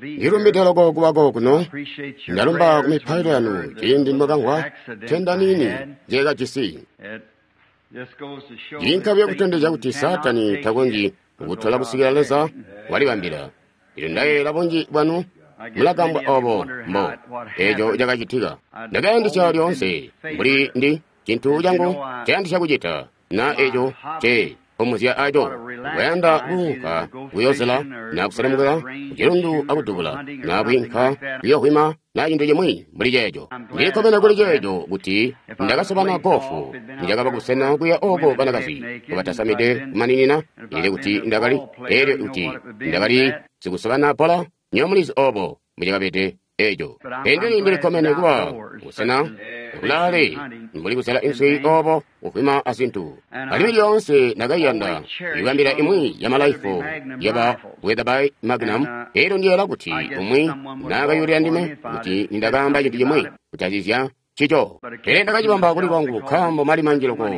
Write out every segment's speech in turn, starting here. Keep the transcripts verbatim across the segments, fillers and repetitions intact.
Ndilumbide loko kubako kuno, ndalumba kumipailo yanu ciindi mwakamvwa ntenda niini njeekajisi. Ciinka buyo kutondezya kuti Saatani takonzyi kutola kusikila Leza walibambila. Lino ndayeeyela bunji bwanu mulagambwa obo mbo eco cakacitika. Ndakayandisya lyoonse mbuli ndi cintu cangu ncayandisya kucita na eco nce pomuzya aco kuyanda kuunka kuyozela na kuselemukila kucilundu akudubula na kwiinka kuyohwima na cintu cimwi mbuli ceeco. Ndilikkomene kuli ceeco kuti ndakasobana gofu nicakaba kusena kuya oko banakazi batasamide kumaninina elyo kuti ndakali elyo kuti ndakali sikusobana bbola nywebo mulizi obo mbucakabede eco. Pele ndilikkomene kuba kusena kulaale mbuli kuzela inswi obo kuhwima azintu. Alimwi lyoonse ndakaiyanda ikubambila imwi ya malaifo yaba Weatherby Magnum, elyo ndiyeeyela kuti umwi naakayulila ndime kuti nindakaamba cintu cimwi kutazizya ncico. Pele ndakacibamba kuli lwangu nkaambo mali manji loko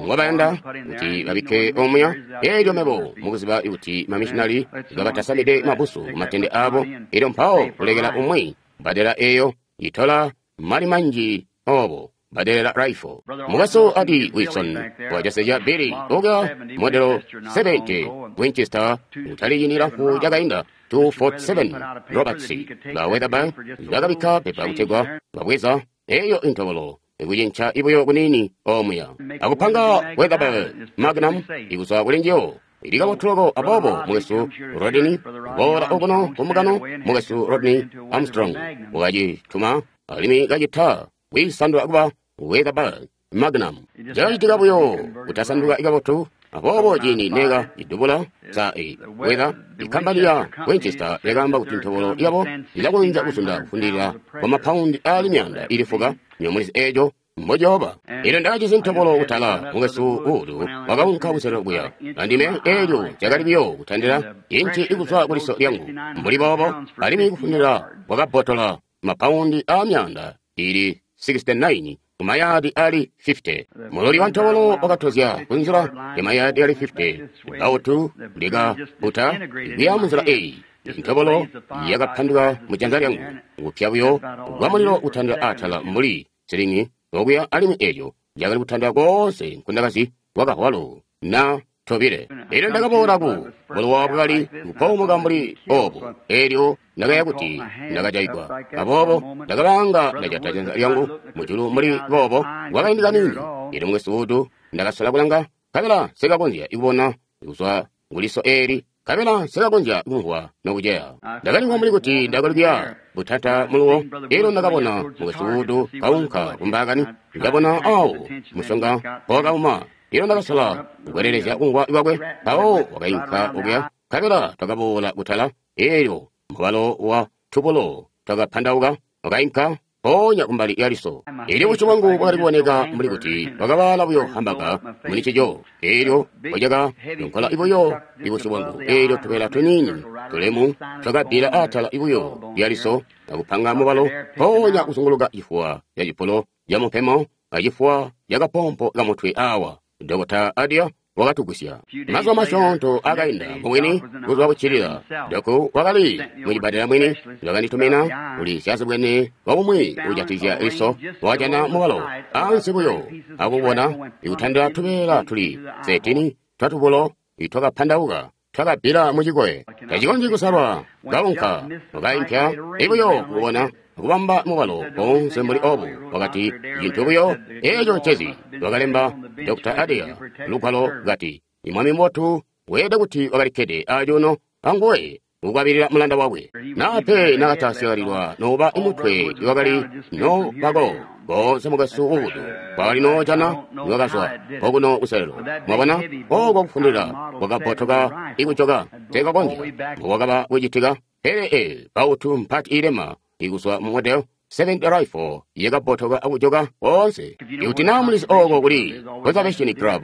ngobayanda kuti babikke omuya, elyo mebo mukuziba kuti mamishinali kabatasamide mabusu kumatende abo, elyo mpawo kulekela umwi badela eyo itola mali manji obo badelela rifle. Mukwesu Adi Wilson wajaseja Billy okuya modelo seventy Winchester kutali ciindi cilamfu cakainda two forty-seven Roberts ba Weatherby bakabikka pepa kutegwa babweza eyo intobolo ikucinca ibuyo kunini omuya akupanga Weatherby Magnum ikuzwa kuli njiyo ili kabotu loko. Aboobo mukwesu Rodney boola okuno kumukano, mukwesu Rodney Armstrong wakacituma alimwi kacita kwiisandula kuba Weatherby Magnum. Cakacitika buyo kutasanduka kabotu, aboobo ciindi neka idubula sa e Weather ikkampani ya Winchester yakaamba kuti ntobolo yabo ilakonzya kuzunda kufundilila kwa mapaundi aali myaanda ili fuka nyomulizi eco mbocooba. Elyo ndakajisi ntobolo kutala, mukwesu Wood wakaunka kuselelo kuya andime, elyo cakali buyo kutandila inci ikuzwa kuliso lyangu mbuli boobo, alimwi kufundilila kwakabbotola mapaundi aa myaanda ili sixty-nine kumayadi ali fifty. Muloli wa ntobolo wakatozya kunzila ya mayadi ali fifty. Bautu likaputa kuya munzila eyi. Ntobolo yakaphanduka mujanza lyangu kupya buyo kwa mulilo kutandila atala mbuli silingi okuya, alimwi eco cakali kutandila koonse nkundakazi kwakahwalo na tobile. Elyo ndakaboola ku bulowa bwakali kupoomoka mbuli obo, elyo ndakaya kuti ndakajaigwa. Aboobo ndakabanga ndajata janza lyangu mujulu mbuli boobo kwakaindi kaniini. Elyo mukwesu Wood ndakasola kulanga, nkabela nsekakonzya kubona kuzwa kuliso eli, nkabela nsekakonzya kumvwa nokuceya. Ndakalimvwa mbuli kuti ndakali kuya butata muluwo. Elyo ndakabona mukwesu Wood kaunka kumbaakani, ndakabona awo musonga mpowakauma. Elyo ndakasola kukwelelezya kumvwa kwakwe, mpawo wakainka okuya, nkabela twakaboola kutala. Elyo mubalo wa tubulo twakapandauka, wakainka mpoonya kumbali ya liso. Elyo busyu bwangu bwakali kuboneka mbuli kuti bwakabaala buyo hambaga muli ncico. Elyo bwacaka yonkola ibuyo ibusyu bwangu, elyo tubeela tuniini tulemu twakabbila atala ibuyo lya liso akupanga mubalo mpoonya kuzunguluka cifuwa ca cipulo ca mupemo acifuwa ca kapompo kamutwe awa. Dokota Adia wakatugwisya. Mazuba masyoonto akainda mubwini buzuba buccilila, Doku wakali mucibbadela mwini bakanditumina kuli syazibwene waumwi uujatizya liso, wakajana mubalo ansi buyo akubona ikutandila tubeela tuli thirteen twatubulo itwakapandauka twakabbila mucikoye. Tacikonzyi kusalwa, kaunka wakaimpya ibuyo kubona kubamba mubalo koonse mbuli obu. Wakati cintu buyo eco ncezi. Wakalemba Dokota Adia lugwalo kati, Mwami mubotu weelede kuti wakalikkede acuuno anguwe kukwabilila mulanda wakwe. Naape nakatasyalilwa noba imutwe iwakali no bako koonse mukwesu Wood kwakali noojana iwakazwa okuno kuselelo. Mwabona oko kufundilila kwakabbotoka ikujoka teekakonzya mbowakaba kucitika. Pele e bautu mpati ilema ikuzwa mu model seventy rifle yakabbotoka akujoka koonse. Ikuti naa mulizi oko kuli Conservation Club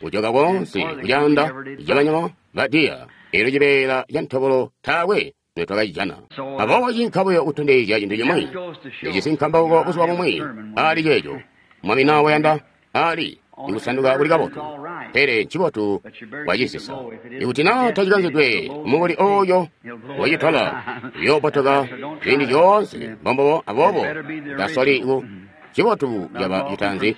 kujoka koonse kucaanda cabanyama ba deer, elyo cibeela ca ntobolo taakwe notwakacijana. Aboobo cinka buyo kutondezya cintu cimwi. Ndijisi nkambauko buzuba bumwi ali ceeco. Mwami naa wayanda ali ikusanduka kuli kabotu, pele ncibotu kwacisisa. Ikuti na tacikanzidwe mukuli oyo wacitola, uyoobotoka ziindi zyoonse. Mbombobo, aboobo tasoli ku cibotu caba citaanzi,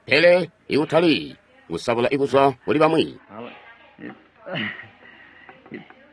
pele ikutali kusabula ikuzwa kuli bamwi.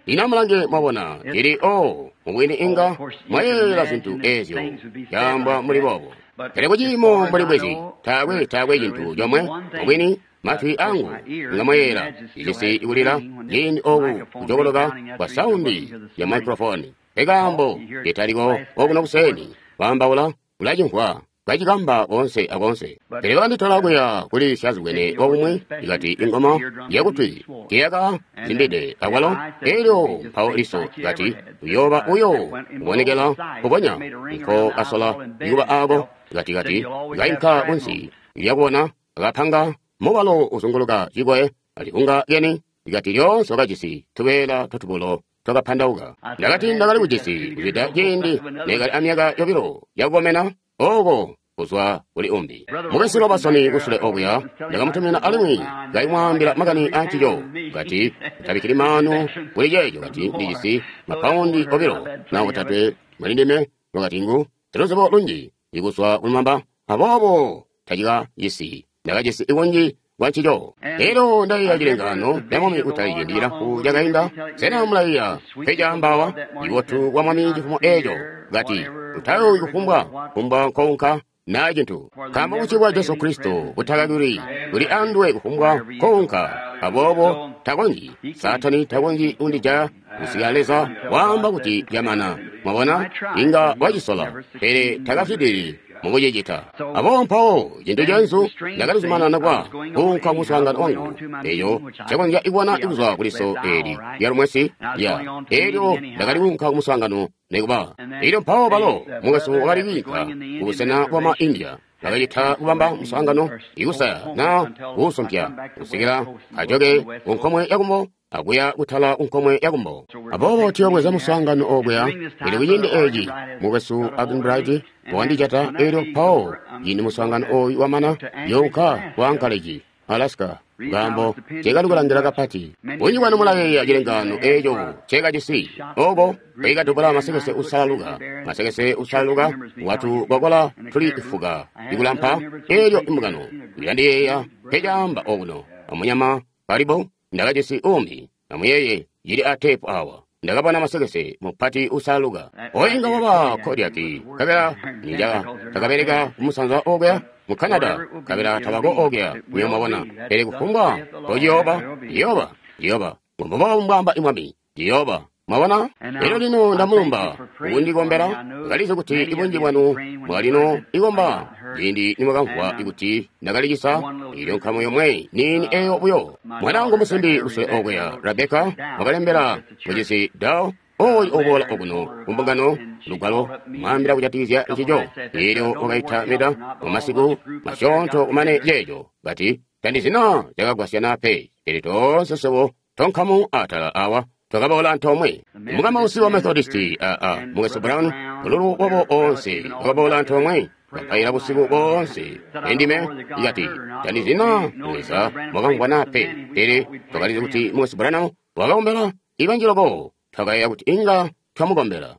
Lino amulange, mwabona, ili o mubwini inga mwayeeyela zintu ezyo caambwa muli boobo, pele kuciimo mbuli bwezi taakwe taakwe cintu comwe. Mubwini matwi angu inga mwayeeyela icisi ikulila ciindi oku kujokoloka kwa saundi ya microphone, ekaambo italiko okuno kuseni kwaambaula ulacimvwa kacikamba koonse akoonse. Pele bakanditola kuya kuli syazibwene wakumwi, ikati ingoma yakutwi tiyaka zimbide akwalo. Elyo mpawo liso kati uyooba uyo kubonekela kubonya nko kasola ikuba ako kati kati kainka kunsi lyakubona akapanga mubalo uzunguluka cikwe alikunga lyeni, ikati lyoonse wakajisi tubeela twatubulo twakapandauka. Ndakati ndakali kujisi kuzwida ciindi nekali amyaka yobilo yakukomena oko kuzwa kuli umbi. Mukesi Robertson kusule okuya ndakamutumina alimwi kaimwaambila makani ancico, kati tabikkili maanu kuli ceeco, kati ndijisi mapaundi obilo na otatwe muli ndime, wakati ngu siluzibo lunji ikuzwa kulumamba, aboobo tacikajisi ndakajisi ikunji kwa ncico. Elyo ndaiya cilengano lya Mwami kutali ciindi cilamfu cakainda. Sena mulaiya pecaambawa ibotu kwa Mwami cifumo eeco, kati utayowi kufumbwa kufumbwa nkounka na cintu, nkaambo buci bwa Jesu Kristo butakakili buli anduwe kufumbwa nkounka. Aboobo takonzyi Saatani takonzyi kundijaya kusikila Leza waamba kuti lyamana. Mwabona, inga wacisola, pele takafwidili mukucicita. Aboobo mpawo cintu cenzu ndakalizumanana kwa kuunka kumuswaangano wangu, eco cakonzya kubona kuzwa kuliso eli lya lumwesi lya elyo ndakali kuunka kumuswaangano nekuba. Elyo mpawo balo mukwesu wakali kwiinka kubusena bwa ma India, bakacita kubamba muswaangano ikusaya na kuusumpya kusikila ajoke kunkomwe yakumbo akuya kutala kunkomwe yakumbo. Aboobo tuyobweza muswaangano okuya. Pele kuciindi eci mukwesu Arganbright wakandijata, elyo mpawo ciindi muswaangano oyu wamana younka ku Anchorage, Alaska, nkaambo cekali kulangila kapati. Bunji bwanu mulayeeya cilengaano eco cekajisi oko kwikadubula masekese usalaluka, masekese usalaluka watu kokola tuli ifuka ikulampa. Elyo imbungano ilandiyeeya pecaamba okuno amunyama kalibo ndakajisi umbi, amuyeye cili a tepu awa. Ndakabona masekese mupati usalaluka oyo inga waba Kodiaki, kabela ninja takabeleka kumusanza okuya mu Canada, kabela tabako okuya muyo mwabona. Pele kufumbwa kociyooba ciyooba ciyooba mbobo mbwamba imwami ciyooba. Mwabona? Elyo lino ndamulumba kundikombela. Kalizi kuti ibunji bwanu mwalino ikomba ciindi nimwakamvwa kuti ndakalicisa ilyo nkamu yomwe niini eyo buyo. Mwana wangu musimbi kusule okuya Rebeka wakalembela mucisi Dao oyu oboola okuno kumbungano lugwalo mwaambila kujatikizya ncico. Elyo wakaita mita mumasiku masyoonto kumane ceeco, kati tandizina cakagwasyana pe, pele toonse swebo tonkamu atala awa twakaboola antoomwe. Mukamausi wa Methodisti aa mukwesu Brown bululu bwabo onse wakaboola antoomwe, bapaila busiku boonse. Endime ikati tandizina Leza mwakamvwana pe, pele twakalizi kuti mukwesu Branham wakakombela ibanji loko, twakayeeya kuti inga twamukombela.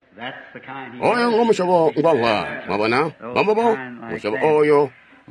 Oyo ngomusyobo ngwamvwa, mwabona, mbombubo musyobo oyo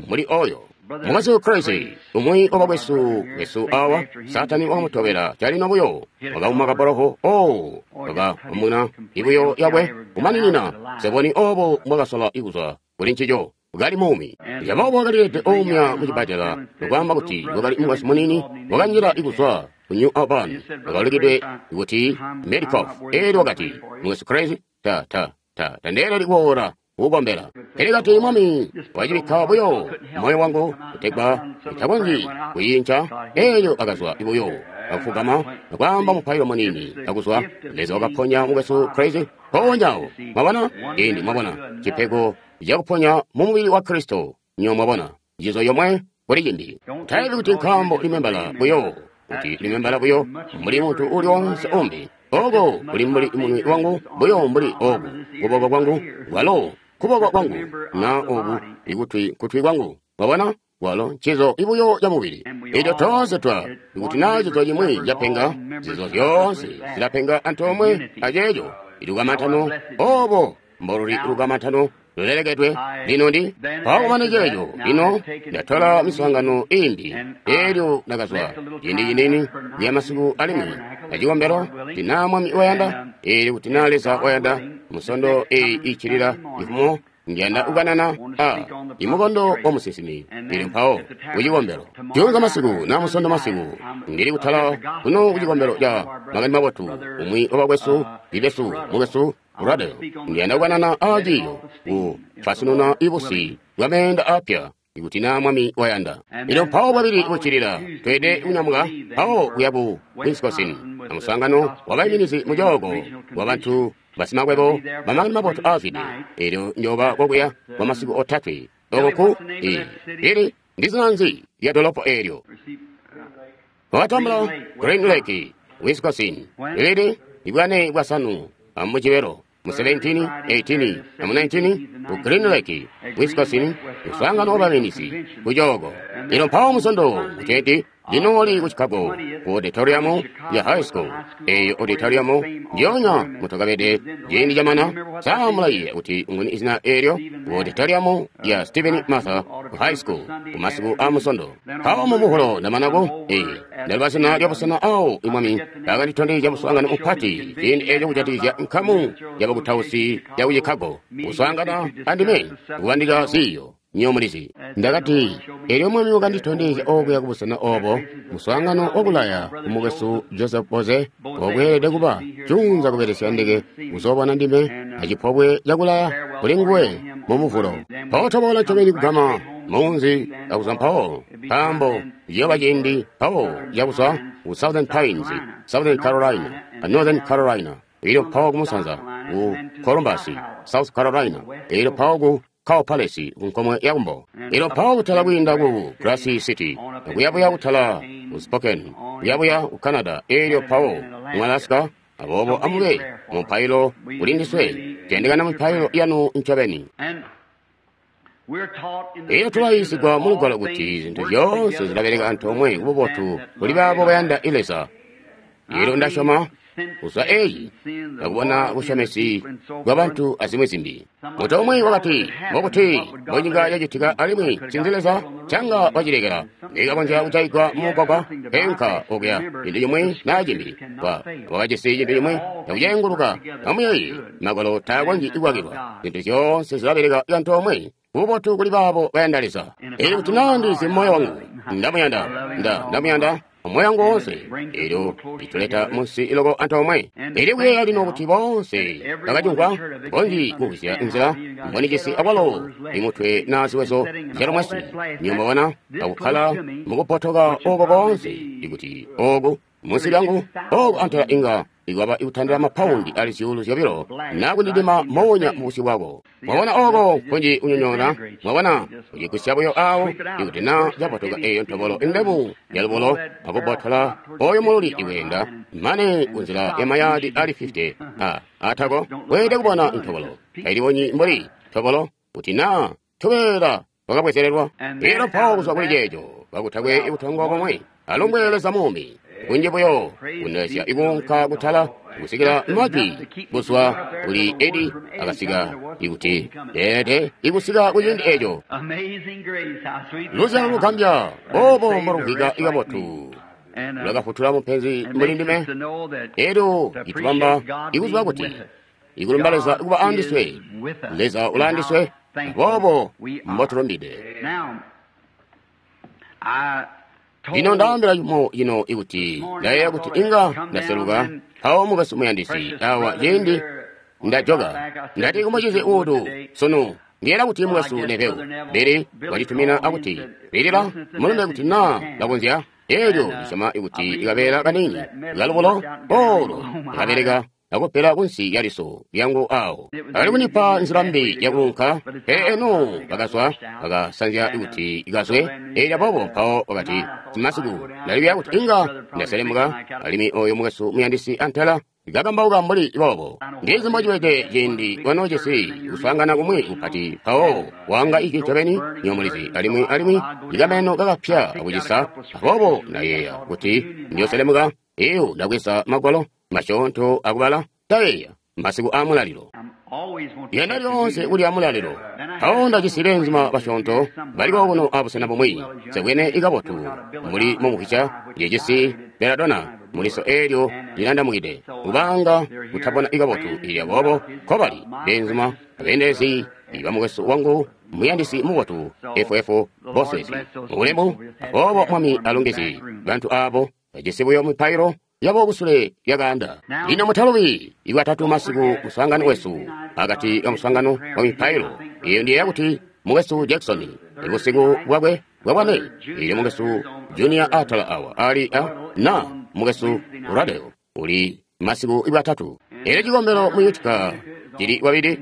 muli oyo. Mukwesu Crazy, umwi wabakwesu wesu awa, Saatani wakamutobela calino buyo, wakauma kaboloho, oh, wakaumuna ibuyo yakwe kumaninina. Seboni obo mbwakasola ikuzwa kuli ncico, kali muumi. Aboobo wakalilede oumya mucibbadela, nokwaamba kuti wakali mukwesu munini wakanjila ikuzwa ku New Albany, wakaulikidwe kuti Medikoff. Elyo wakati, mukwesu Crazy, ta ta ta tandeeleli kuboola kukukombela. Pele kati Mwami wacibikka buyo moyo wangu kutegwa itakonzyi kuyinca. Elyo akazwa buyo akufugama akwaamba mupailo munini akuzwa. Leza wakaponya mukwesu Crazy mpoonya. Mwabona? Indi mwabona cipego cakuponya mu mubili wa Kristo. Nyo mwabona njizo yomwe kuli cimbi. Tayebi kuti nkaambo limembala buyo, kuti limembala buyo mbuli muntu uli wonse umbi. Oko kuli mbuli munwe wangu buyo mbuli oku kuboko kwangu kwalo kuboko kwangu na oku ikutwi kutwi kwangu. Mwabona? Walo ncizo ibuyo ca mubili. Elyo toonse twa, ikuti naa cizo cimwi capenga, zizo zyoonse zilapenga antoomwe aceeco. Ilukamantano obo mboluli lukamantano lulelekedwe. Lino ndi mpawo kumane ceeco, lino ndatola miswaangano imbi. Elyo ndakazwa ciindi ciniini kuya masiku alimwi acikombelo, kuti naa Mwami wayanda, elyo kuti naa Leza wayanda, musondo eyi iccilila ifumo ndiyanda kukanana a imukondo wa musinsimi. Elyo mpawo kucikombelo juunza masiku na musondo masiku ndili kutala kuno kucikombelo ca Makani Mabotu, umwi wabakwesu libesu mukwesu Rado, ndiyanda kukanana a ciiyo ku fasununa ibusi bwa meenda apya, ikuti naa Mwami wayanda. Elyo mpawo bwabili buccilila tweede kunyamuka mpawo kuya ku Wisconsin amuswaangano wabaiminizi mu cooko wa bantu basimakwebo bamakani mabotu aazwide. Elyo njoba kokuya kwa masiku otatwe oko ku i ili ndi zina nzi lya dolopo eelyo wakatambula Green Lake, Wisconsin, lili ibwane bwasanu amucibelo mu seventeen, eighteen amu nineteen ku Green Lake, Wisconsin, muswaangano wabaiminizi ku cooko. Lino mpawo musondo kuteeti ndinooli ku Chicago ku auditorium ya high school. Eyo auditorium ndyoonya mutakabede ciindi camana. Saamulayiye kuti nguni izina eelyo ku auditorium ya Stephen Martha ku high school ku masiku a musondo. Mpawo mu muhulo ndamanako ee ndaluba zina lya busena awo imwami akanditondezya muswaangano mupati ciindi eeco kujatikizya nkamu yabakutausi ya ku Chicago kuswaangana andime kubandika ziiyo. Nyomulizi ndakati, elyo Mwami wakanditondezya okuya kubusena obo muswaangano wakulaya kumukwesu Joseph Boze okweelede kuba junza kubelesya ndeke kuzoobona ndime acipobwe cakulaya kuli nguwe mu muvulo. Mpawo toboola ncobeni kugama munzi akuzwa mpawo, nkaambo ciyooba ciindi mpawo cakuzwa ku Southern Pines, Southern Carolina, a Northern Carolina, elyo mpawo kumusanza ku Columbus, South Carolina, elyo mpawo ku Cow Palace ku nkomwe ya kumbo. Elyo mpawo kutala kwiinda ku Grass City, kuyabuya kutala ku Spokane, kuyabuya ku Canada, elyo mpawo mu Alaska. Aboobo amube mu mpailo kuli ndiswe, tuyandikana mu mpailo yanu ncobeni. Elyo tulayiisigwa mu Lugwalo kuti zintu zyoonse zilabeleka antoomwe kububotu kuli baabo bayanda Leza. Elyo ndasyoma kuzwa eyi ndakubona busyomesi bwabantu azimwi zimbi. Muntu umwi wakati, mbokuti mbonyika yacitika alimwi ncinzi Leza canga wacilekela ndikakonzya kujaigwa mumugwagwa penka okuya cintu cimwi naa cimbi. Wa wakajisi cintu cimwi cakucenguluka amuyeyi magwalo taakonzyi kukwakilwa. Zintu zyoonse zilabeleka antoomwe kububotu kuli baabo bayanda Leza. Elyo kuti naa ndizi moyo wangu ndamuyanda, nda ndamuyanda moyo wangu woonse, elyo lituleta munsi iloko antoomwe. Elyo kuyeeya lino kuti boonse bakacimvwa bonji kugwisya nzila mbonicisi akwalo imutwe naa ziwezo zyalumwesi nyumbabona akukkala mukupotoka oko koonse, ikuti oku munsi lyangu oku antela inga ikwaba ikutandila mapaundi ali zyuulu zyobilo naa kundidima moonya mubusyu bwako. Mwabona oko kunji kunyonyoona, mwabona kucigwisya buyo awo ikuti naa capotoka eyo ntobolo indemu yalubulo akubotola oyo mululi iweenda mane kunzila ya mayadi ali fifty a atako weede kubona ntobolo tailibonyi mbuli ntobolo kuti naa tubeela wakabwezelelwa. Elyo mpawo kuzwa kuli ceeco kakutakwe ikutongo komwe alumbwe Leza muumi kunji buyo kunezya ikunka kutala kusikila majwi kuzwa kuli Edi akasika ikuti deede ikusika kuciindi eco. Luzyalo lugambya obo mbolumvwika ikabotu lwakafutula mupenzi mbuli ndime. Elyo itubamba ikuziba kuti ikulumba Leza kuba andiswe, Leza ulaandiswe, aboobo mbotulumbide. Lino ndaambila cimo cino ikuti ndayeeya kuti inga ndaseluka mpawo mukwesu muyandisi awa ciindi ndajoka ndati kumucizi uutu sunu ndiyela kuti mukwesu Neveu Bili wacitumina akuti bilila mulumbe kuti naa lakonzya. Elyo ndisyoma ikuti ikabeela kaniini kalubulo olo ikabeleka akupela kunsi ya liso lyangu awo akali kundipa nzila mbi yakuunka. Pele eno bakazwa bakasanzya kuti ikazwe. Elyo aboobo mpawo wakati simasiku ndalibya kuti inga ndaselemuka alimwi oyo mukwesu muyandisi antela kakambauka mbuli boobo. Ndizi mbocibede ciindi wanoojisi kuswaangana kumwi kupati mpawo wanga ijwi ncobeni nyomulizi alimwi alimwi ikameno kakapya akucisa. Aboobo ndayeeya kuti ndiyoselemuka iyo ndabweza magwalo masyoonto akubala ndayeeya masiku aamulalilo. Yenda lyoonse kulya mulalilo. Mpawo ndajisi beenzuma basyoonto baliko kuno abusena bumwi sebwene ikabotu muli mumukwica yejisi beladona muliso eelyo lilandamukide kubanga kutabona ikabotu ili aboobo nkobali beenzuma abeendelezi bamukwesu wangu muyandisi mubotu F F Boswezi mubulemu. Aboobo Mwami alongeze bantu aabo bajisi buyo mipailo yabo kusule lyakaanda. Lino mutalubi iwatatu masiku muswaangano wesu akati ka muswaangano wa mipailo. Iyo ndiyeeya kuti mukwesu Jackson ibusiku bwakwe bwabwane ili mukwesu Junior atala awa ali a na mukwesu Radeo uli masiku iwatatu. Elyo cikombelo mu Utica cili wabili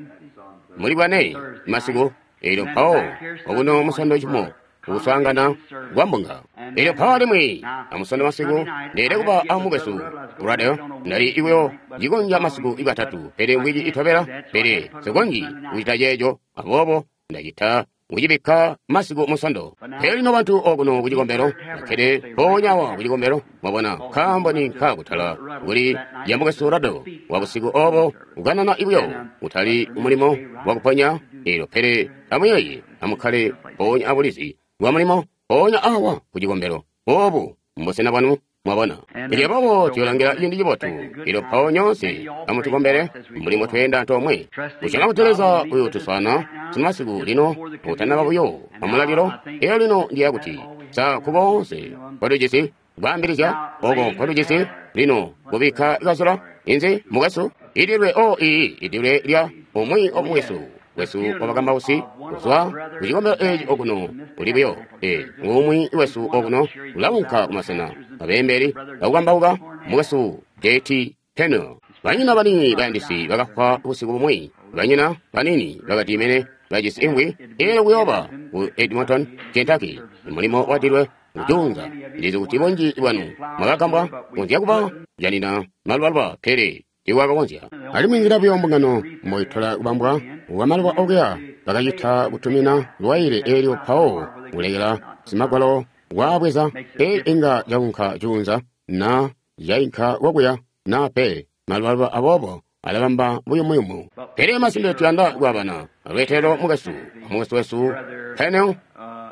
muli bwane masiku. Elyo mpawo okuno musondo cimo kuswaangana kwa mbunga. Elyo mpawo alimwi amusondo masiku ndeele kuba amukwesu Radeo ndali iweyo cikonja masiku iwatatu pele wiki itobela pele sikonji kucita ceeco aboobo ndacita kucibikka masiku musondo. Pele lino bantu okuno kucikombelo bakkede mpoonya awa kucikombelo mwabona nkaambo ni nkakutala kuli ya mukwesu Radeo wa busiku obo kukanana ibuyo kutali mulimo wakuponya elyo pele amuyeeye amukkale mpoonya abulizi bwa mulimo mpoonya awa kucikombelo obu mbusena bwanu mwabona. Elyo aboobo tuyolangila ciindi cibotu. Elyo mpawo nyoonse amutukombele mbuli mbotweenda antoomwe kusyoma kuti Leza uyotuswaana simasiku lino utanaba buyo amulalilo. Elyo lino ndiya kuti sa kuboonse nkotujisi kwaambilizya oko nkotujisi lino kubikka kazula inzi mukwesu idilwe o ii idilwe lya umwi omukwesu wesu wabakambausi kuzwa kucikombelo eeci okuno uli buyo e umwi wesu okuno ulaunka kumasena abeembeli bakukambauka mukwesu J T Pennell. Banyina banini bayandisi bakafwa busiku bumwi. Banyina banini bakati mene bajisi imvwi eelyo kuyooba ku Edmonton, Kentucky. Mulimo wadilwe kujuunza. Ndizi kuti bunji bwanu mwakagambwa kunzya kuba janina malubaluba pele tiiwakakonzya. Alimwi nzila buyo mbungano mboitola kubambwa wamaluba okuya bakacita kutumina lwaile eelyo mpawo kulekela simagwalo waabweza pe inga caunka juunza na cainka kokuya na pe malubaluba aboobo alabamba buyumuyumu. Pele masimpe tuyanda kwaabana alweetelo mukwesu amukwesu wesu Pennell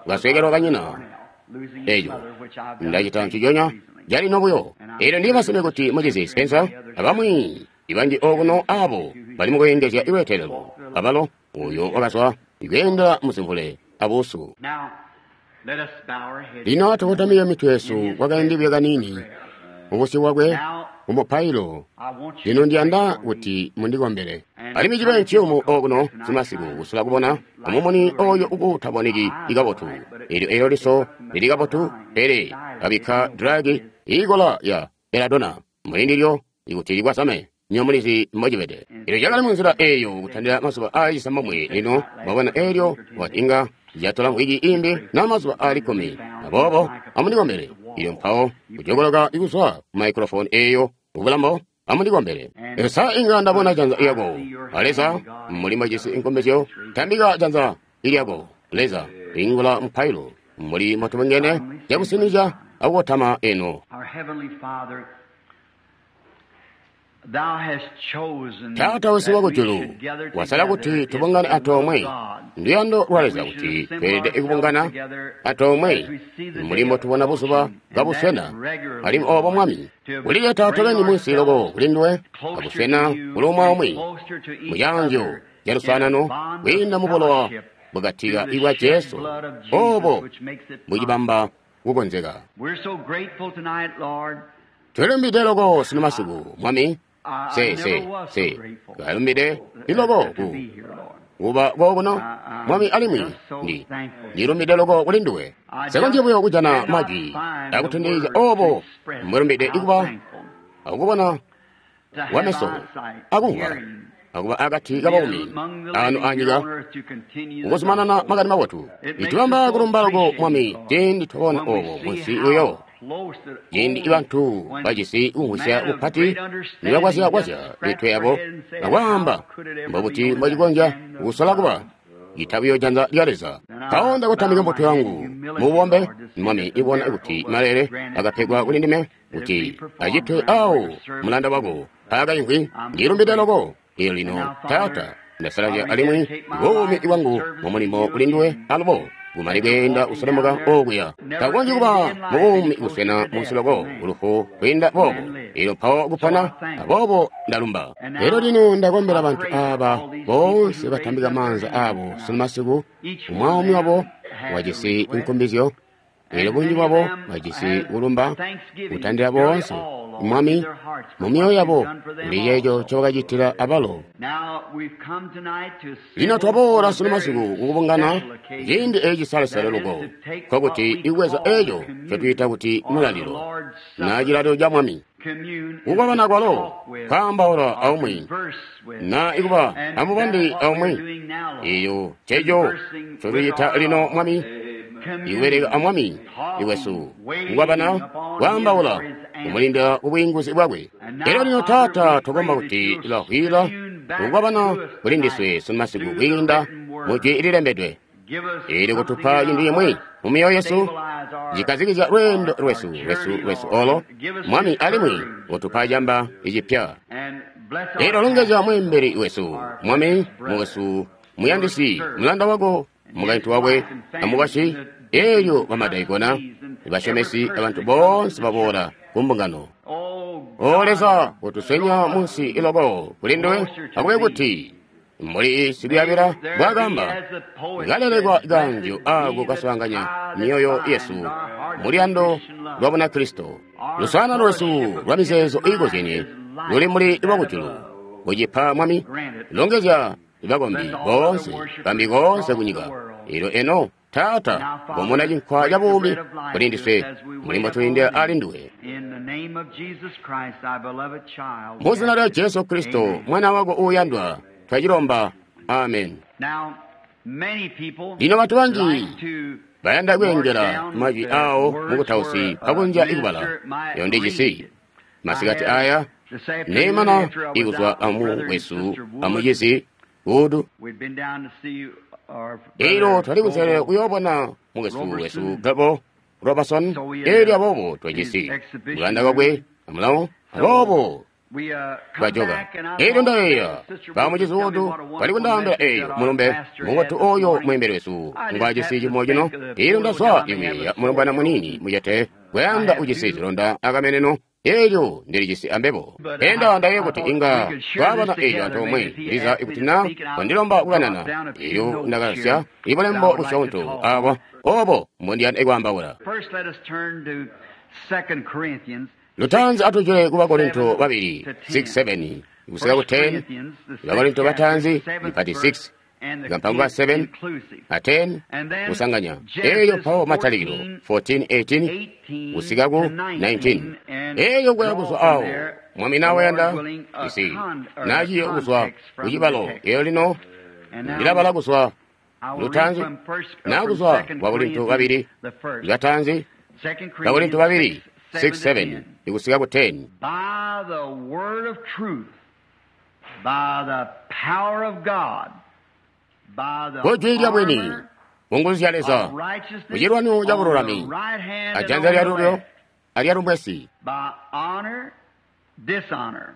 kasweekelwa kanyina eeco ndacita nciconya calino buyo. Eelyo ndiye masimpe kuti mucizi Spencer abamwi ibanji okuno abo bali mukuyengezya ilweetelelo abalo uyo wakazwa ikweendela muzimvule abuusu. Lino atukotamike mitwe yesu kwakaindi buyo kaniini mubusyu bwakwe mumupailo. Lino ndiyanda kuti mundikombele. Alimwi cibe nciyumu okuno simasiku kusula kubona amumuni oyo ukutaboneki ikabotu. Elyo elyo liso lili kabotu pele abikka dragi ikola ya beladona mulindilyo ikuti likwasame nyomulizi mbocibede. Elyo cakali munzila eyo kutandila mazuba aali cisambomwe. Lino mwabona elyo wati inga yatola mvwiki imbi na mazuba aali kkumi. Aboobo amundikombele. Ilyo mpawo kujokoloka ikuzwa ku microphone eyo kubulambo amundikombele. Sa inga ndabona janza lyako a Leza mbuli mbojisi inkombezyo tambika janza lyako Leza ingula mupailo mbuli mbotubungene cakusinizya akukotama eno. Taata wesu wakujulu wasala kuti tubungane antoomwe. Nduyando lwa Leza kuti tweelede kubungana antoomwe mbuli mbotubona buzuba kabuswena. Alimwi oobo Mwami kulileta tobeni munsi loko kuli nduwe kabuswena kuli umwi aumwi mucaanzyo ca luswaanano kwiinda mubulowa bwakatika ibwa Jesu oobo bucibamba kukonzeka. Tulumbide loko sino masiku Mwami. Se se se kalumbide liloko ku kuba kokuno Mwami alimwi ndi ndilumbide loko kuli nduwe. Sekonzya buyo kujana majwi akutondezya obo mbwelumbide ikuba akubona wameso akumvwa akuba akati kabaumi ano anyika ukuzumanana makani mabotu. Itubamba kulumba loko Mwami ciindi twabona obo munsi uyo Ciindi bantu bajisi kumvwisya kupati nibakwazyakwazya mitwe yabo akwaamba mbobuti mbocikonzya kusola kuba cita buyo janza lya Leza. Mpawo ndakutamika mbuto yangu mububombe, Mwami ibona kuti malele akapegwa kuli ndime kuti acitwe awo mulanda wako aakaimvwi. Ndilumbide loko. Eelyo lino Taata, ndasalazya alimwi buumi bwangu mumulimo kuli nduwe alubo kumane kweenda kuselemuka okuya. Takukonzyi kuba mubuumi buswena munsi loko kulufu kwiinda boobo. Eelyo mpawo kupona, aboobo ndalumba. Eelyo lino ndakombela bantu aaba boonse batambika maanza aabo sunu masiku, umwi wabo wajisi nkumbizyo. Eelyo bunji bwabo bajisi kulumba kutandila boonse Mwami mu myoyo yabo kuli ceeco ncobakacitila abalo. Lino twaboola sunu masiku kukubungana ciindi eeci salesale loko, nkokuti ikubweza eeco ncotwiita kuti mulalilo na cilalilo ca Mwami. Kukwabana kwalo kwaambaula aumwi na ikuba amubandi aumwi, eeyo nceeco ncotwiita lino Mwami, ikubeleka a Mwami iwesu, kukwabana, kwaambaula, kumulindila kubwiinguzi bwakwe. Elyo lino Taata, tukomba kuti ilahwila kukwabana kuli ndiswe sunu masiku kwiinda mu jwi lilembedwe. Eelyo kutupa cintu cimwi mu myoyo yesu cikazikizya lweendo lwesu lwesu lwesu olo Mwami, alimwi kutupa camba icipya. Eelyo longezya mweembeli wesu Mwami, mukwesu muyandisi, mulanda wako, mukaintu wakwe amukwasyi. Eelyo bamadaikona, basyomesi, abantu boonse baboola kumbungano. O Leza, kutuswenya munsi iloko kuli nduwe, akube kuti mbuli sikuyabila bwakamba kalelekwa kanjo ako kaswaanganya myoyo yesu muluyando lwa Bunakristo. Luswaanano lwesu lwa mizeezo iikozyenye luli muli lwakujulu. Kucipa Mwami, longezya bakombi boonse bambi koonse kunyika. Eelyo eno Taata, komona cinkwa ca buumi kuli ndiswe mulimo tulindila ali nduwe. Mu zina lya Jesu Kristo, Mwana wako uuyandwa, twacilomba. Amen. Lino bantu banji bayanda kweengela majwi awo mukutausi pakunja ikubala eyo ndijisi masikati aya neemana ikuzwa amu wesu amucizi Wood. Eelyo twali kunselelo kuyoobona mukwesu wesu Gabo Robertson. Eelyo aboobo twajisi mulanda wakwe amulawo, aboobo twajoka. Eelyo ndayeeya bamucizi Wood bali kundaambila eeyo mulumbe mubotu oyo mweembeli wesu ngwajisi cimo cino. Eelyo ndazwa ikuyeeya mulombwana muniini mucete kuyanda ujisi zilonda akameneno. Eelyo ndilijisi ambebo. Enda ndayeeya kuti inga twabana eelyo antoomwe liza ikuti na wandilomba kukanana. Eelyo ndakasya ibulembo busyoonto abo obo mbondiyanda kwaambaula. Lutanzi atujule ku Bakorinto babili six seven kusika ku ten. Bakorinto batanzi mpati six kampango seven a ten kusanganya. Eeyo mpawo matalikilo fourteen eighteen kusika ku nineteen. Eeyo kuya kuzwa awo Mwami nawe yanda isi naciyo kuzwa kucibalo. Eeyo lino ndilabala kuzwa lutanzi na kuzwa Bakorinto babili batanzi Bakorinto babili six seven ikusika ku ten. By the word of truth, by the power of God, by the Ku jwi lya bwini, armor ku nguzu zya Leza, of righteousness ku cilwanyo ca on the bululami, right hand and ajanza on lya the lulyo left, alyalubwesi, by honor, dishonor,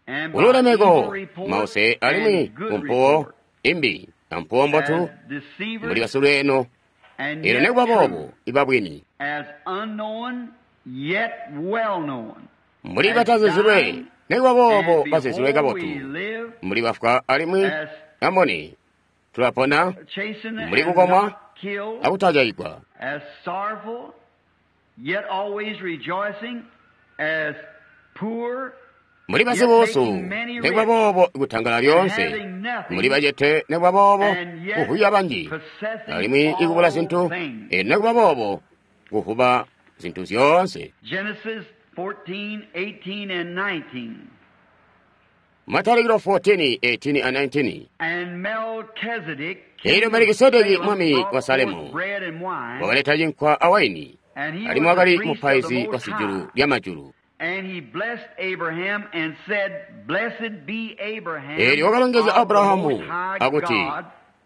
and by ululemeko evil report mause alimwi and good kumpuwo report, imbi ampuwo mbotu as deceivers muli basulweno. and Eelyo yet nekuba true, boobo iba bwini, as unknown yet well known, mbuli as batazizilwe dying, nekuba boobo and bazizilwe behold kabotu, we live, mbuli bafwa alimwi as amboni tulapona chastened mbuli and kukomwa not killed, akutajayigwa, as sorrowful, yet always rejoicing, as poor, mbuli yet basibuusu making many nekuba rich, boobo kutangala lyonse, having nothing, mbuli bacete nekuba boobo and yet kuhuya banji, possessing alimwi ikubula all zintu. things. Eelyo nekuba boobo kuhuba zintu zyoonse. Genesis fourteen, eighteen, and nineteen. Matalikilo fourteen eighteen and nineteen. And Melchizedek, Eelyo king of Melikisedeki Salem, mwami brought wa Salemu forth bread and wine, wakaleta cinkwa awaini. Alimwi wakali mupaizi wa sijulu lya majulu. Eelyo wakalongezya Abrahamu akuti,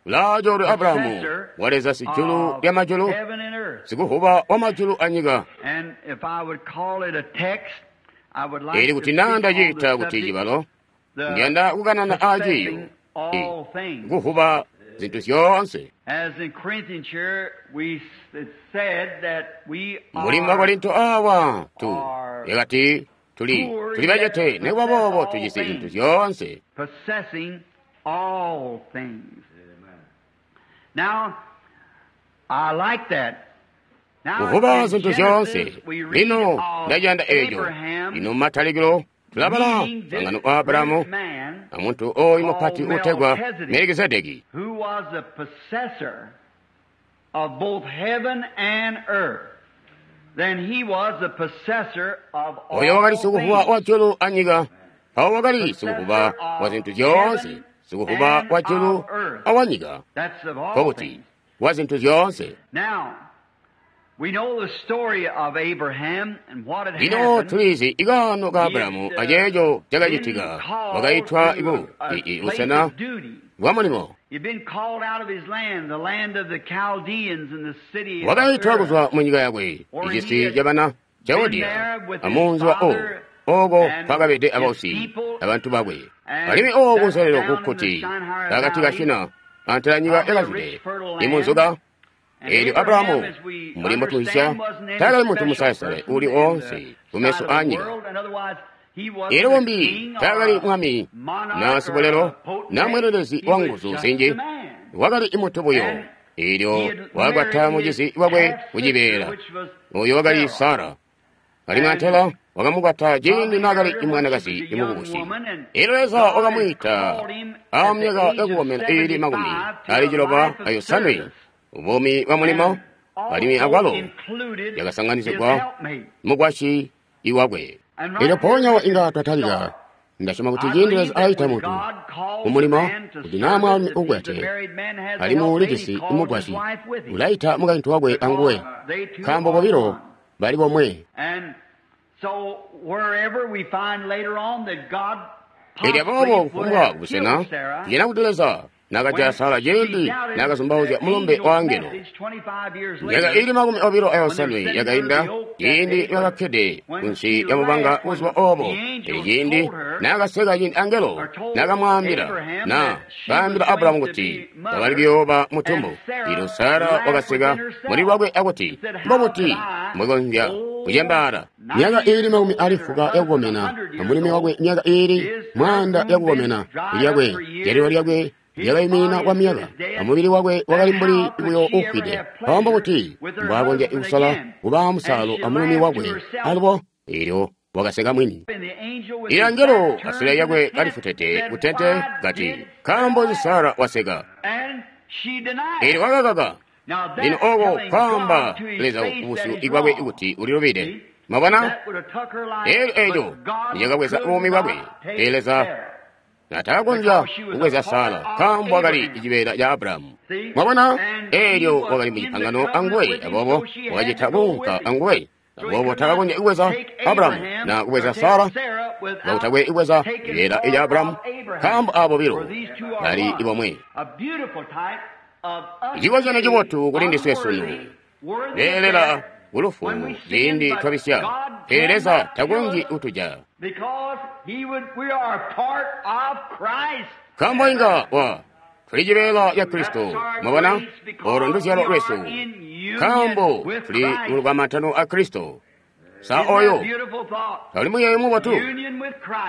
ulaacoolwe Abrahamu wa Leza sijulu lya majulu, sikuvuba wa majulu anyika. Eli kuti naa ndaciita kuti cibalo, ndiyanda kukanana aaciiyo kuvuba zintu zyoonse. Mbuli mu Bakorinto awa tu yakati tuli tuli bacete nekuba boobo tujisi zintu zyoonse. Kuvuba zintu zyoonse. Lino ndaciyanda eeco. Lino mumatalikilo tulabala muswaangano wa Abrahamu amuntu oyu mupati uutegwa Melikizedeki, oyo wakali sikuvuba wa julu anyika. Mpawo wakali sikuvuba wa zintu zyoonse, sikuvuba wa julu awanyika, nkokuti wa zintu zyoonse. Lino tulizi ikaano ka Abrahamu aceeco cakacitika. Wakaitwa iku busena bwa mulimo. Wakaitwa kuzwa mu nyika yakwe, icisi cabana Chaldea, amunzi wa Ur, ooko kwakabede abausi abantu bakwe. Alimwi ooko kunselelo kukkuti pakati ka Shina antela nyika yakazwide imunzuka. Eelyo Abrahamu mbuli mbotuhisya taakali muntu musalesale uli oonse kumeso aanyika. Eelyo bombi taakali mwami na sibulelo na mweendelezi wa nguzu zinji, wakali muntu buyo. Eelyo wakakwata mucizi wakwe kucibeela, oyo wakali Sara. Alimwi antela wakamukwata ciindi naakali mwanakazi mukubusi. Eelyo Leza wakamwiita amyaka yakukomena iili makumi ali ciloba ayosanwe, ubuumi bwa mulimo, alimwi akwalo yakasanganizigwa mukwasyi iwakwe. Eelyo mpoonya inga twatalika. Ndasyoma kuti ciindi Leza aita muntu kumulimo, kuti naa mwaalumi ukwete alimwi ulijisi mukwasyi, ulaita mukaintu wakwe anguwe, nkaambo bobilo bali bomwe. Eelyo aboobo kufumbwa kubusena tujana kuti Leza naakajaya Sara ciindi naakazumbauzya mulumbe wa angelo. Myaka iili makumi obilo ayosanwe yakainda ciindi nibakakkede kunsi ya mubanga buzuba oobo. Pele ciindi naakaseka ciindi angelo naakamwaambila na kaambila Abrahamu kuti wakali kuyooba mutumbu, eelyo Sara wakaseka muli lwakwe akuti, mbobuti mbwekonzya kucembaala? Myaka iili makumi ali fuka yakukomena, amulumi wakwe myaka iili mwaanda yakukomena, lyakwe jalilo lyakwe lyakayimina kwa myaka, amubili wakwe wakali mbuli buyo ufwide. Mpawo kuti mbwakonzya kusala kuba musalo amulumi wakwe alubo, eelyo wakaseka mwini. Eelyo angelo asule yakwe kalifutete kutente kati, nkaambo nzi Sara waseka? Eelyo wakakaka. Lino ooko kwaamba Leza kubusyu bwakwe kuti ulilubide. Mwabona? Eelyo eeco nicakabweza buumi bwakwe. Pele Leza natakakonzya kubweza Sara nkaambo wakali cibeela ca Abrahamu. Mwabona? Eelyo wakali mucipangano anguwe, aboobo wakacita kuunka anguwe. Aboobo takakonzya kubweza Abrahamu na kubweza Sara, kakutakwe kubweza cibeela ca Abrahamu, nkaambo aabo bobilo bali bomwe. Icikozyanyo cibotu kuli ndiswe sunu, leelela kulufu ciindi twabisya, pele Leza takonzyi kutuja. Nkaambo inga wa tuli cibeela ca Kristo, mwabona, olo nduzyalo lwesu, nkaambo tuli mu lukamantano a Kristo. Sa oyo tali muyeeyo mubotu,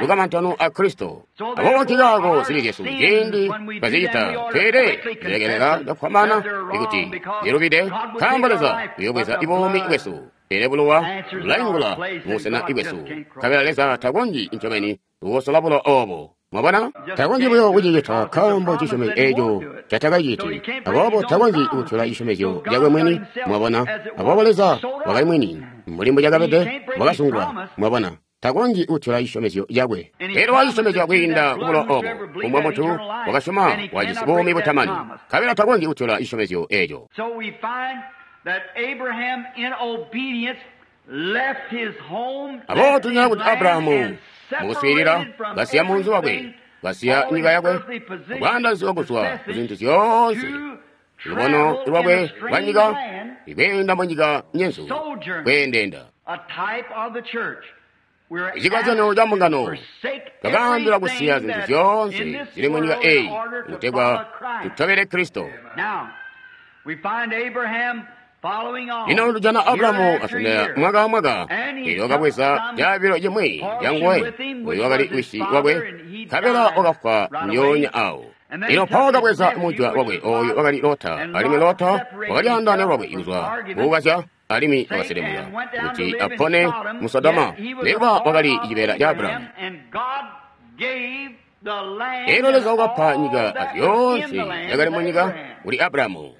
lukamantano a Kristo. Aboobo nkikaako zibi zyesu ciindi twazicita, pele zilekelela cakufwambaana ikuti zilubide, nkaambo Leza uyoobweza buumi bwesu. Pele bulowa bulaingula mubusena bwesu, nkabela Leza takonzyi ncobeni kukosola bulowa oobo. Mwabona? Takonzyi buyo kucicita nkaambo cisyomezyo eeco catakaciti. Aboobo takonzyi kutyola cisyomezyo cakwe mwini. Mwabona? Aboobo Leza wakali mwini, mbuli mbucakabede, wakasungwa. Mwabona? Takonzyi kutyola cisyomezyo cakwe. Pele wacisyomezya kwiinda kubulowa oobo, kufumbwa muntu wakasyoma wajisi buumi butamani, nkabela takonzyi kutyola cisyomezyo eeco. Aboobo tunyana kuti Abrahamu mukuswiilila kasiya munzi wakwe, kasiya nyika yakwe, akwaandaanisigwa kuzwa ku zintu zyoonse, lubono lwakwe lwa nyika, ikweenda mu nyika nyenzu, kweendeenda. Icikozyanyo ca mbungano, twakaambilwa kusiya zintu zyoonse zili mu nyika eyi kutegwa tutobele Kristo. Lino tujana Abrahamu asondela mwaka amwaka, eelyo wakabweza caabilo cimwi canguwe, oyo wakali wisi wakwe, nkabela wakafwa ndyoonya awo. Lino mpawo wakabweza mujwa wakwe, oyo wakali Lota, alimwi Lota wakalyaandaanya lwakwe kuzwa kukukazya, alimwi wakaselemuka kuti apone mu Sodoma, nekuba wakali cibeela ca Abrahamu. Eelyo Leza wakapa nyika azyoonse zyakali munyika kuli Abrahamu.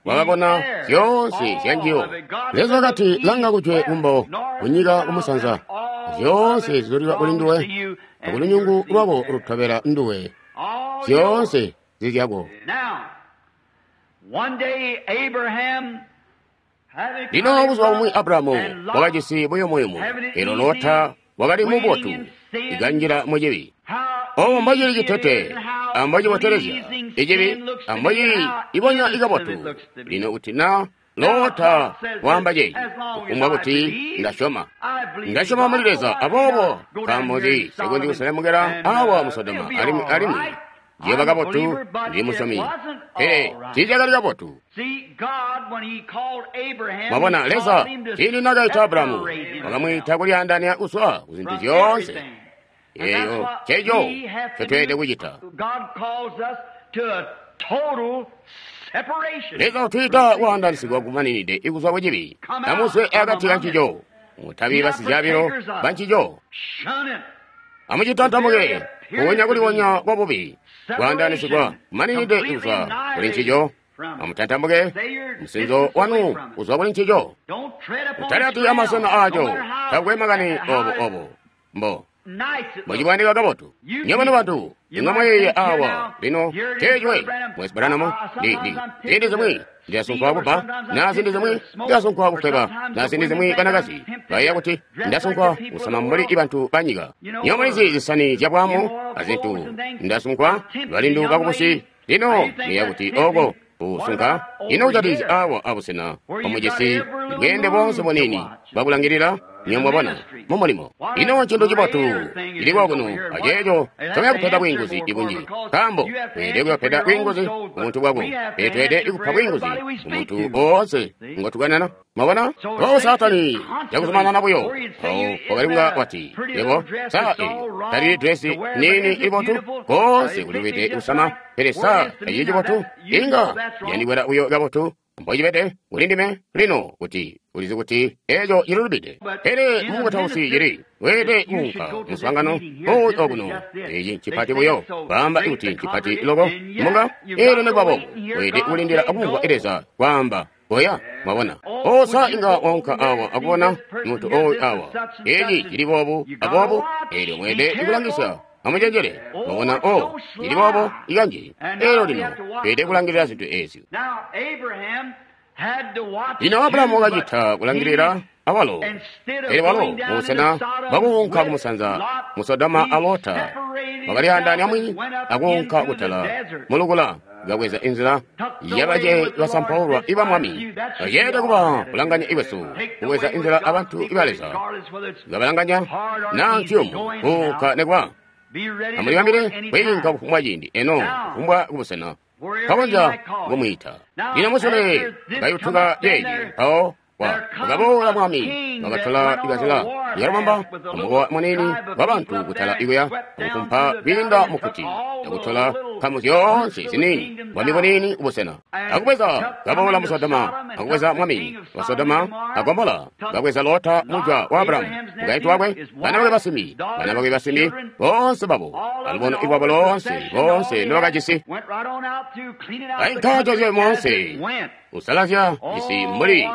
Wakabona zyoonse zyanjiyo. Leza wakati, langa kujwe kumbo, kunyika kumusanza, zyoonse zizulilwa kuli nduwe, akulunyungu lwako lutobela nduwe, zyoonse zizyako. Lino buzuba bumwi Abrahamu wakajisi buyumuyumu, eelyo Lota wakali mubotu, ikanjila mucibi. Obo mbocili citete, ambocibotelezya icibi, ambocili ibonya ikabotu. Lino kuti na Lota waamba ceeci, kufumbwa kuti ndasyoma, ndasyoma muli Leza, aboobo nkaambo nzi nsikonzyi kuselemukela awa mu Sodoma, alimwi alimwi ndiyoba kabotu, ndili musyomi. Pele tiicakali kabotu. Mwabona, Leza ciindi nakaita Abrahamu, wakamwiita kulyaandaanya kuzwa ku zintu zyoonse. Eyo ceeco ncotweelede kucita. Leza utwiita kwaandaanisigwa kumaninide ikuzwa kucibi. Amuzwe akati kancico, mutabi basizyaabilo bancico. Amucitantamuke kuwonya kuliwonya kwa bubi, kwaandaanisigwa kumaninide ikuzwa kuli ncico. Amutantamuke musinzo wanu kuzwa kuli ncico. Mutalyati amasena aaco, takwe makani obo obo mbo mucibwandika kabotu. Nywebo nobantu inga mwayeeya awa lino teecwe mwesi Branham ndi ndi ziindi zimwi ndilasunkwa kubba, na ziindi zimwi ndilasunkwa kufweba, na ziindi zimwi banakazi bayeeya kuti ndasunkwa kusama mbuli bantu banyika. Nywebo mulizi zisani zyabwaamu azintu, ndasunkwa balindu bakubusi. Lino muyeeya kuti oko kusunka ino kucatizi awa abusena bwamujisi bweende boonse buniini bwakulangilila. Nywebo mwabona mu mulimo ino ncintu cibotu cili kokuno aceeco ncomya kupeda bwiinguzi ibunji, nkaambo weelede kuyopeda bwiinguzi kumuntu bwako, pele tweelede kupa bwiinguzi kumuntu oonse ngotukanana. Mwabona o Saatani cakuzumanana buyo awo wakali kunga wati, yebo saa eyi talili dresi niini ibotu, koonse kulilwide kusama, pele saa tacili cibotu, inga yandikwela buyo kabotu mbocibede kuli ndime lino kuti ulizi kuti eco cililubide. Pele mukutausi cili weelede kuunka muswaangano oyu okuno, eci ncipati buyo kwaamba kuti ncipati loko munga, eelyo nekuba boobo weelede kulindila akumvwa Leza kwaamba koya. Mwabona o sa inga waunka awa akubona muntu oyu awa, eci cili boobu aboobu, eelyo mweelede kulangisya. Amucenjele, mwabona o cili boobo ikanji, eelyo lino tweelede kulangilila zintu ezyo. Lino Abrahamu wakacita kulangilila awalo, pele walo mubusena bwakuunka kumusanza mu Sodoma a Lota wakalyaandaanya mwini akuunka kutala mulukula, kabweza inzila yabace basampaulwa iba Mwami. Baceelede kuba kulanganya ikwesu, kubweza inzila abantu iba Leza, kabalanganya naa nciyumu kuunka nekuba. Amulibambile kwiinka kufumbwa ciindi eno kufumbwa kubusena kakonzya kumwiita. Lino musule kayutuka ceeci, mpawo wakaboola Mwami, wakatola ikazila ikalubamba amukowa muniini wabantu kutala ikuya, akufumpa kwiinda mukkuti, akutola nkamu zyoonse ziniini, bwami buniini kubusena. Akubweza kaboola mu Sodoma, akubweza mwami wa Sodoma a Gomola, kabweza Lota mujwa wa Abrahamu, mukaintu wakwe, bana bakwe basimbi, bana bakwe basimbi, boonse babo, alubono iwabo loonse, boonse ndobakajisi. Bainka cozye moonse, usalazya cisi mbuli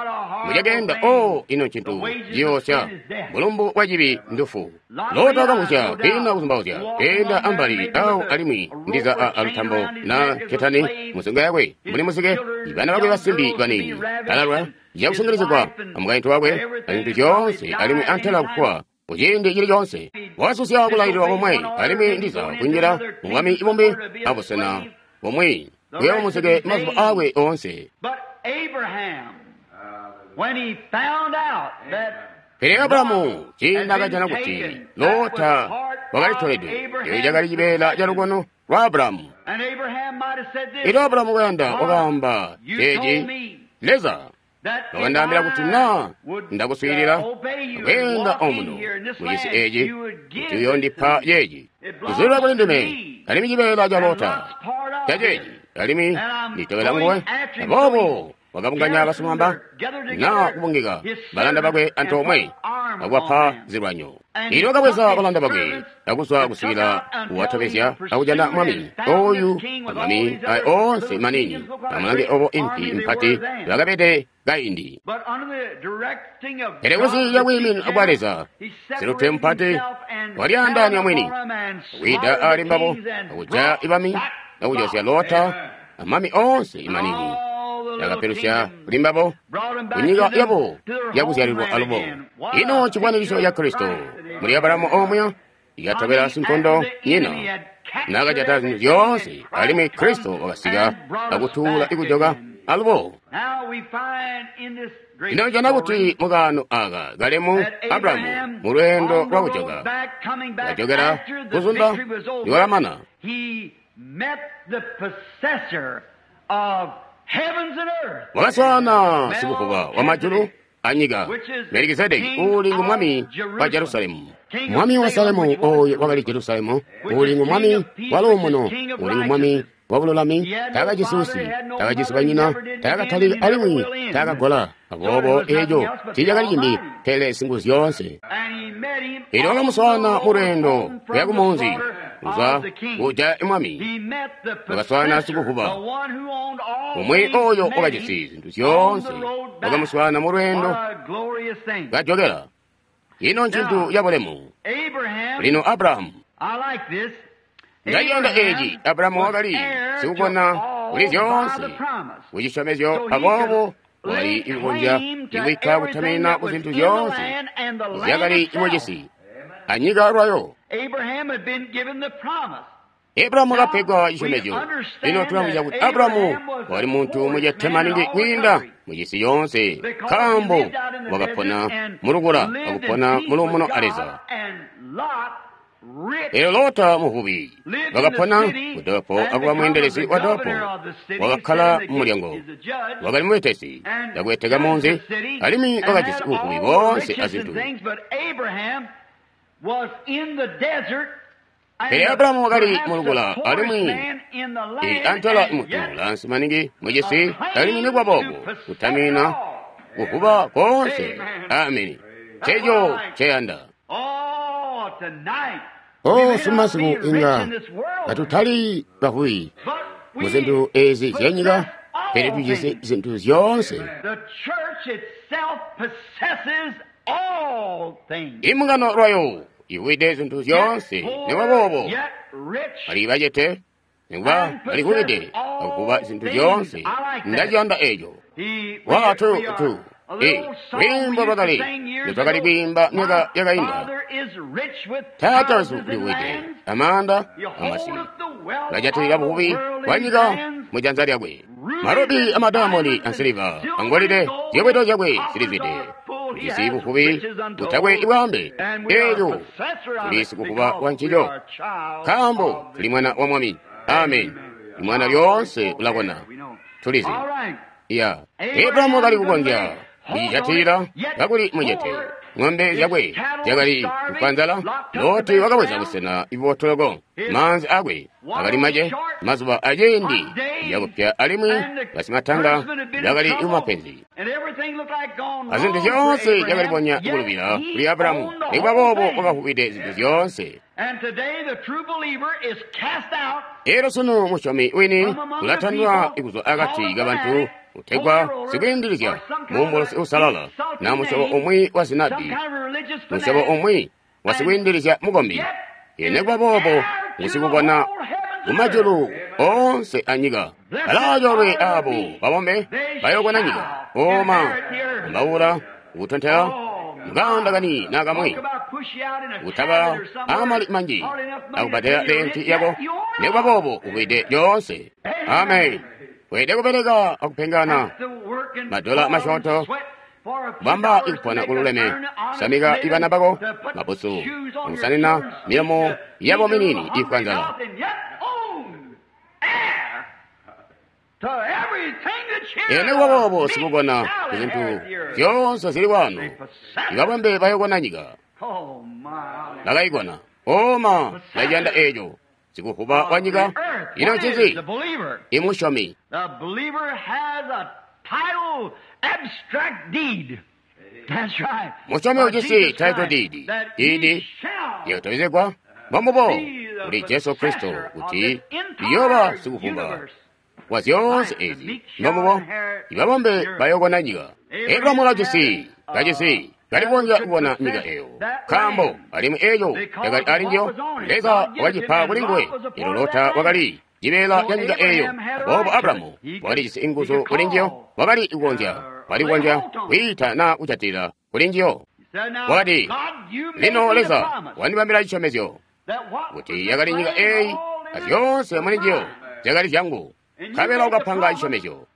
mucakenda. O ino ncintu ciyoosya, mulumbu wa cibi ndufu. Lota wakamvwisya kwiinda kuzumbauzya, keenda ambali awo alimwi ndiza a alutambo na ketani musingo yakwe mbuli muzike, bana bakwe basimbi baniini balalwa cakusungilizigwa amukaintu wakwe azintu zyoonse alimwi antela kufwa kuciindi cili coonse. Wakasusya kulaililwa komwe alimwi ndiza kunjila mubwami bumbi abusena bumwi kuyoba muzike mazuba aakwe oonse. Pele Abrahamu ciindi akajana kuti Lota wakalitolede, eco cakali cibeela ca lukono lwa Abrahamu. Elyo Abrahamu kuyanda wakaamba ceeci, Leza wakandaambila kuti naa ndakuswiilila kweenda omuno mucisi eci kuti uyoondipa ceeci. Kuzulila kuli ndime alimwi cibeela ca Lota ca ceeci alimwi nditobela nguwe. Aboobo wakabunganya basimamba naa kubungika balanda bakwe antoomwe akubapa zilwanyo. Elyo wakabweza balanda bakwe akuzwa kusikila kuwatobezya akujana mwami oyu amami aya oonse manini amulange obo impi mpati bakabede kaindi. Pele kunsi lya bwiimino bwa Leza silutwe mupati walyaandaanya mwini akwiida ali mbabo akujaya ibami akujosya Lota amami oonse manini. Yakapelusya kuli mbabo kunyika yabo yakuzyalilwa alubo. Ino chikwaniriso ya Kristo muli Abrahamu omwe yakatobela sinkondo nyina nakajata zintu zyoonse alimwi Kristo wakasika akutuula ikujoka alubo. Ino njana kuti mukaano aka kalemu Abrahamu mu lweendo lwa kujoka kajokera kuzunda niwalamana. Wakaswaana sikuvuba wa majulu anyika Melikizedeki uuli ngu mwami wa Jerusalemu. Mwami wa Salemu oyo wakali Jerusalemu uuli ngu mwami wa luumuno uuli ngu mwami wa bululami. Taakajisi usyi, taakajisi banyina, taakatalika alimwi taakagola. Aboobo eeco tiicakali cimbi pele Singuzyoonse. Elyo wakamuswaana mu lweendo kuya kumunzi kuzwa kujaya mwami. Wakaswaana sikuvuba umwi oyo wakajisi zintu zyoonse. Wakamuswaana mu lweendo kajokera. Ino ncintu cabulemu. Lino Abrahamu ndaciyanda eeci. Abrahamu wakali sikukona kuli zyoonse kucisyomezyo, aboobo wakali ikukonzya ikuikka kutamina ku zintu zyoonse zyakali mucisi anyika lwayo. Abrahamu wakapegwa cisyomezyo. Lino tulamvwisya kuti Abrahamu wakali muntu mucete maningi kwiinda mucisi yoonse, nkaambo wakapona mulukula akupona muluumuno a Leza. Elyo Lota muvubi wakapona kudolopo akuba mweendelezi wa dolopo, wakakkala mumulyango, wakali mubetesi akubeteka munzi, alimwi wakajisi buvubi boonse azintu. Pele Abrahamu wakali mulukula alimwi antela muntu lansi maningi mucisi, alimwi nikuba boobo kutamina kuvuba koonse. Ameni. Nceco nceyanda. Oh, sumasiku inga katutali bavubi mu zintu ezi zyanyika, pele tujisi zintu zyoonse. Imbungano lwayo ivwide zintu zyoonse, nikuba boobo bali bacete, nikuba balivubide akuvuba zintu zyoonse. Ndaciyanda eeco. Wa tu tu e lwiimbo lwakale lwetwakali kwiimba myaka yakainda. Taata wesu ulivwide amaanda amasi, ulajatilila buvubi bwa nyika mu janza lyakwe. Marobi amadayamoni ansiliva angolide ziyobwedo zyakwe zilizwide. Ujisi buvubi butakwe ibwambe. Eeco tuli sikuvuba wa ncico, nkaambo tuli mwana wa mwami. Amen. Imwana lyoonse ulakona. Tulizi. Ya Abrahamu wakali kukonzya kucijatilila kakuli mucete. Ng'ombe zyakwe zyakali kufwa nzala. Loti wakabweza busena ibotoloko. Maanzi akwe akali mace mazuba aciindi yakupya, alimwi basimatanga bakali mumapenzi. Azintu zyoonse zyakalibonya kulubila kuli Abrahamu, nikuba boobo wakavubide zintu zyoonse. Elyo sunu musyomi wini ulatandwa kuzwa akati kabantu utegwa sikwiindilizya mumbulusi usalala na musyobo umwi wa zinabi, musyobo umwi wa sikwiindilizya mukombi. Nikuba boobo ngusikukona kumajulu oonse anyika. Balaacoolwe aabo babombe bayookona nyika. Oma Ambaula, kutontela, mukanda kani na kamwe, kutaba amali manji, akubadela lenti yako, nekuba bobo uwide lyonse. Amen. Wede kupereka akupengana, madola mashoto, bamba ikupona kululeme, samika ibana bako, mabusu, akusanina milomo yabo minini ifwanzala. Ene kuba sikukona zinthu zyonse zili kwanu, ikabwembe bayokona nyika. Bakayikona, oma ndachiyanda echo, sikuhuba wa nyika, ino ncinzi imusyomi. Musyomi ujisi title deed, deed yakutobezegwa mbombubo kuli Jesu Kristo kuti iyoba sikuhuba wa zyonse ezi mbombubo ibabombe bayokona nyika. Abrahamu kajisi kajisi kalikonzya kubona nyika eyo nkaambo alimwi eyo yakali ali njiyo Leza wakacipa kuli nguwe. Elo Lota wakali cibeela ca nyika eyo, aboobo Abrahamu wakalijisi inguzu kuli njiyo, wakali kukonzya wakali kukonzya kwiita na kujatilila kuli njiyo. Wakati, lino Leza wandibambila cisyomezyo kuti yakali nyika eyi azyonse muli njiyo zyakali zyangu, nkabela ukapanga cisyomezyo.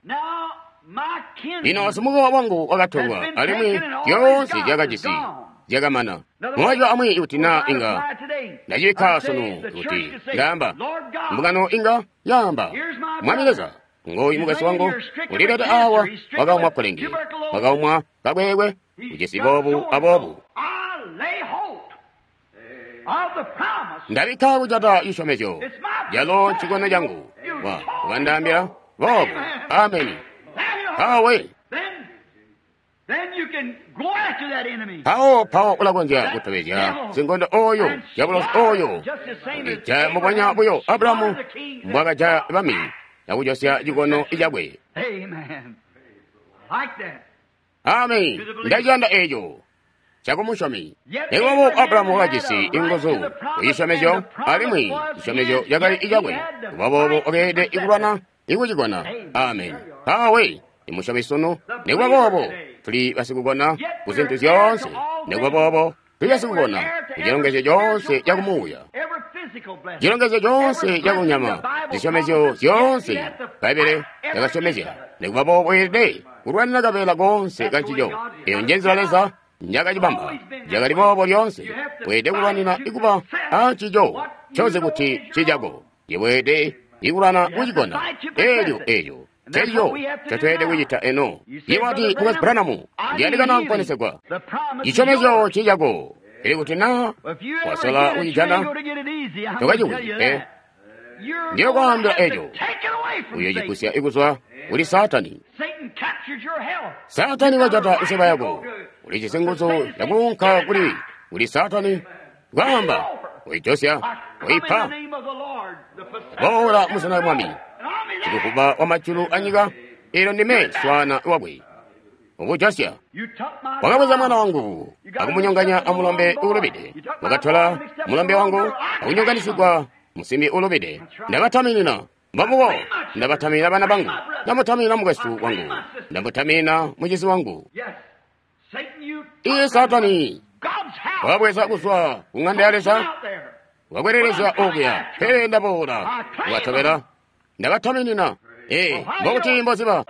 Lino simukowa wangu wakatolwa, alimwi zyoonse zyakajisi zyakamana. Mumajwi amwi kuti na inga ndacibikka sunu kuti ndaamba mbungano inga yaamba, Mwami Leza ngoyu mukwesu wangu ulileta awa wakaumwa kkulenge, wakaumwa kakwekwe, ujisi boobu aboobu. Ndabikka kujata cisyomezyo calo ncikono cangu. Wa wakandaambila boobu. Ameni. Awe pawo pawo ulakonzya kutobezya sinkondo oyo diabolosi oyo ija mubwanya buyo Abrahamu mbwakaja bami akujosya cikono cakwe. Amen. Ndaciyanda eco cakumusyomi. Nekuba Abrahamu wakajisi inguzu kucisyomezyo, alimwi cisyomezyo cakali icakwe. Kuba boobo wakeelede ikulwana ikucikona. Amen. Awe imusyomi sunu. Nekuba boobo tuli basikukona ku zintu zyoonse. Nekuba boobo tuli basikukona ku cilongezyo coonse cakumuuya, cilongezyo coonse cakunyama, zisyomezyo zyoonse Bbaibbele lyakasyomezya. Nekuba boobo weelede kulwanina kabeela koonse kancico. Eyo njenzila Leza njakacibamba, cakali boobo lyoonse. Weelede kulwanina ikuba ancico coze kuti cicako. Yeweelede ikulwana kucikona elyo elyo elyo cotweelede kucita eno. Iwati mukwesu Branham, ndiyandikana kuponesegwa. Cisyomezyo cicako. Ili kuti na wasola kucijana tokaciwini pe. Ndiyo kwaambila eco uyocigusya ikuzwa kuli Saatani. Saatani wajata iseba yako, ulijisi nguzu yakuunka kuli kuli Saatani kwaamba uijosya uipa boola muzina Mwami sikukuba wa majulu anyika, ilo ndime swana wakwe ubujosya. Wakabweza mwana wangu akumunyonganya amulombe uulubide, wakatola mulombe wangu akunyonganisigwa musimbi uulubide. Ndabataminina mbamubo, ndabataminina bana bangu, ndamutaminina mukwesu wangu, ndamutaminina mucizi wangu. Iye Saatani wabweza kuzwa ku ng'anda ya Leza, wakwereleza okuya, pele ndaboola wakatobela ndabataminina. Ee, mbokuti mboziba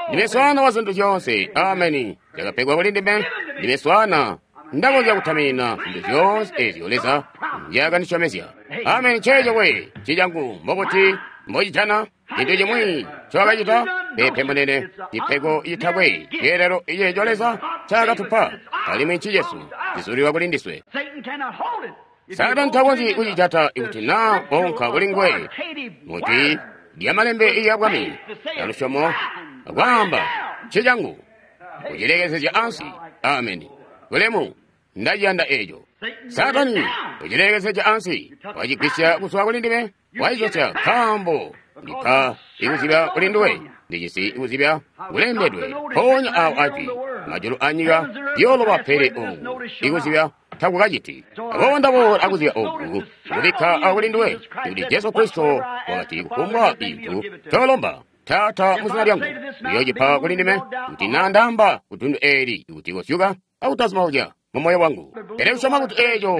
ndime swana wa zintu zyoonse. Ameni. Zyakapegwa kuli ndime, ndime swana ndakonzya kutaminina zintu zyoonse ezyo Leza nzyakandisyomezya. Ameni. Nceeco we cicangu mbokuti mbocijana cintu cimwi ncowakacita pepe munene, cipego citakwe ceelelo iceeco Leza ncaakatupa, alimwi ncicesu cizulilwa kuli ndiswe. Saatani takonzyi kucijata ikuti naa onka kuli nguwe muti lya malembe iya bwami ya lusyomo akwaamba ncecangu kucilekezezya ansi. Ameni. Bulemu. Ndaciyanda eco. Saatani kucilekezezya ansi, wacigwisya kuzwa kuli ndime, wacicosya nkaambo ndipa ikuzibya kuli nduwe, ndijisi ikuzibya kulembedwe mpoonya awo ajwi majulu anyika yooloba, pele oku ikuzibya takukaciti. Aboobo ndaboola akuzibya oku kubikka akuli nduwe kuti Jesu Kristo wakati kufumbwa cintu colomba Taata mu zina lyangu uyoocipa kuli ndime, kuti naa ndaamba ku dundu eeli kuti kosyuka akutazima mu moyo wangu. Pele kusyoma kuti eeco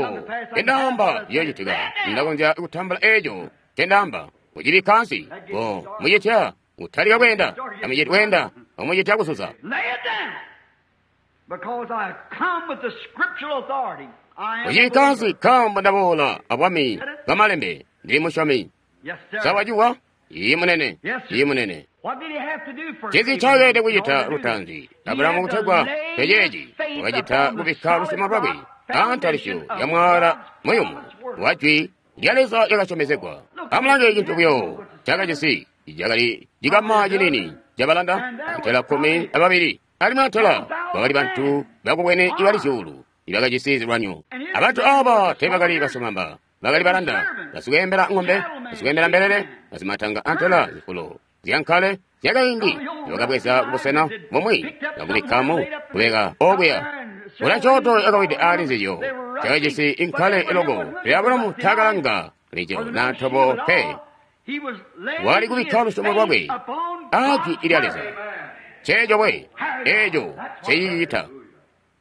ncendaamba ciyoocitika, ndakonzya kutambula eeco ncendaamba. Kucibikka ansi, ko mucitya kutalika kweenda, amuciti kweenda, amucitya kuzuza. Kucibikka ansi nkaambo ndaboola abwami bwamalembe, ndili musyomi. Sa waciwa? Iyi munene, iyi munene. Ncinzi ncakeelede kucita lutaanzi Abulahamu kutegwa peceeci wakacita kubikka lusyomo lwakwe aantalisyo ya mwaala muyumu wa jwi lya Leza lyakasyomezegwa. Amulange cintu buyo cakajisi cakali cikama cinini cabalanda antela kkumi ababili, alimwi antela bakali bantu bakubwene ibali zyuulu ibakajisi zilwanyo. Abantu aaba teebakali basomamba, bakali balanda, basikweembela ng'ombe, basikweembela mbelele, basimatanga antela zifulo zyankale zyakaindi bakabweza kubusena bumwi bakubikkamu kubeka okuya. Ula cooto yakawide aali nzizyo cakajisi inkale iloko, pele Abulahamu taakalanga lico na ntobo pe. Wali kubikka lusyomo lwakwe aajwi lya Leza. Nceeco we, eeco ncecicita,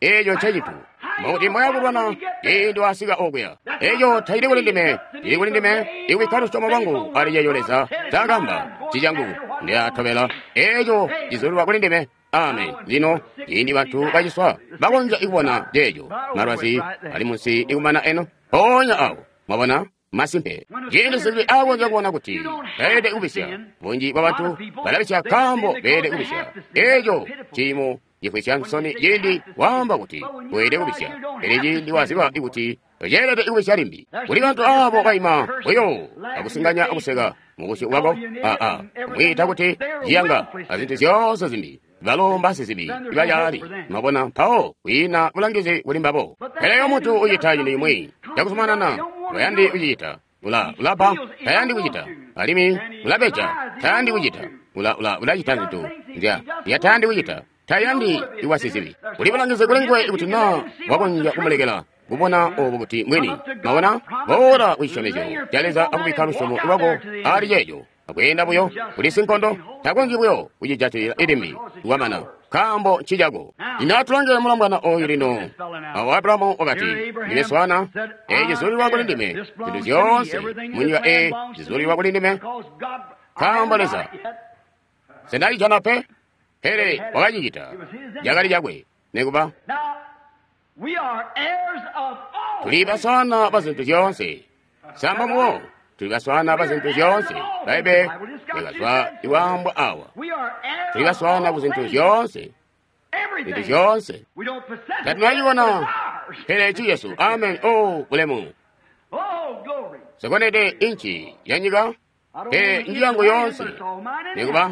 eeco ncecitu. Mukuti moya kulwana ciindi wasika okuya. Eeco taili kuli ndime, ili kuli ndime ikubikka lusyomo lwangu ali ceeco Leza ncaakamba ncicangu ndilatobela eeco cizulilwa kuli ndime. Amen. Lino ciindi bantu baciswa bakonzya kubona ceeco, malwazi ali munsi ikumana eno mpoonya awo. Mwabona? Masimpe. Ciindi sizibi akonzya kubona kuti beelede kubisya, bunji bwa bantu balabisya nkaambo beelede kubisya. Eeco ciimo cifwisya nsoni ciindi waamba kuti weelede kubisya, pele ciindi waziba kuti toceelede kubisya limbi. Kuli bantu aabo baima buyo akusinganya akuseka mubusyu bwako, aa kumwiita kuti ciyanga azintu zyoonse zimbi. Balo mbasizibi ibayaali. Mwabona, mpawo kwiina bulangizi kuli mbabo. Pele yo muntu ucita cintu cimwi cakuzumanana, tayandi kucicita. Ula ulapa, tayandi kucita. Alimwi ulabeja, tayandi kucita. Ula ula ulacita zintu nzya yatayandi kucita. Tayandi iwasizibi. Kuli bulangizi kuli nguwe kuti naa wakonzya kumulekela kubona obo kuti mwini. Mwabona, boola kucisyomezyo ca Leza akubikka lusyomo lwako ali ceeco. Akweenda buyo kuli sinkondo, takonzyi buyo kucijatilila ilimbi lwamana, nkaambo ncicako. Lino atulange mulombwana oyu lino. Awo Abulahamu wakati, ndime swana, eeci cizulilwa kuli ndime, zintu zyoonse munyika eyi zizulilwa kuli ndime, nkaambo Leza sendacijana pe, pele wakacicita, cakali cakwe. Nikuba tuli baswana ba zintu zyoonse, samba muwo. Tuli baswana ba zintu zyoonse. Baibe yakazwa iwambwa awa. Tuli baswana ku zintu zyoonse, zintu zyoonse tatunacibona, pele ci Yesu. Amen. Oh, bulemu. Sekonede inchi ya nyika, pele njiyangu yoonse. Nikuba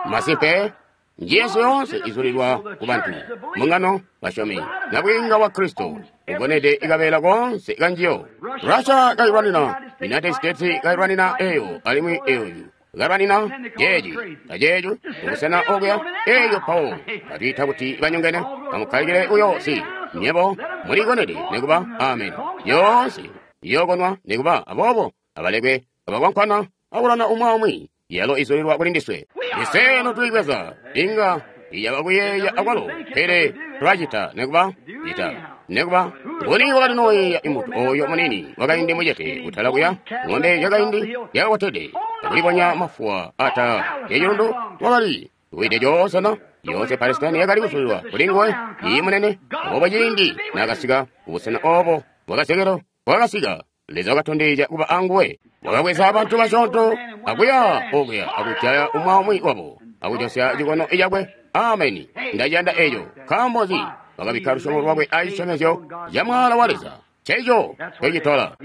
masimpe njiyesu yoonse izulilwa ku bantu, mungano basyomi nabwiinga wa Kristo ugonede ikabeela koonse kanjiyo. Russia kailwanina, United States kailwanina eyo, alimwi eyoyu kalwanina ceeci aceeco kubusena okuya. Eeyo pawo batwiita kuti banyongene, amukkalikile uyo si nyebo mulikonede nikuba. Amen. Yoonse iyokonwa nikuba, aboobo abalekwe abakwankwana akulana umwi aumwi. Yalo izulilwa kuli ndiswe. Iswe notuyibweza inga iyaba kuyeeya akwalo, pele tulacita nikuba cita nikuba. Nguni wakali nooyeeya imuntu oyo munini wakaindi mucete kutala kuya ng'ombe yakaindi yakakotede akulibonya mafuwa ata yacilundu wakali wide coonse na yoonse Palestine yakali kuzulilwa kuli nguwe. Iyi munene. Aboobo ciindi naakasika kubusena obo bwakazekelo bwakasika, Leza wakatondezya kuba anguwe. Wakabweza abantu basyoonto akuya okuya akujaya umwi aumwi wabo akujosya cikono cakwe. Ameni. Ndaciyanda eeco. Nkaambo nzi? Wakabikka lusyomo lwakwe acisyomezyo ca mwaala wa Leza. Nceeco ncecitola.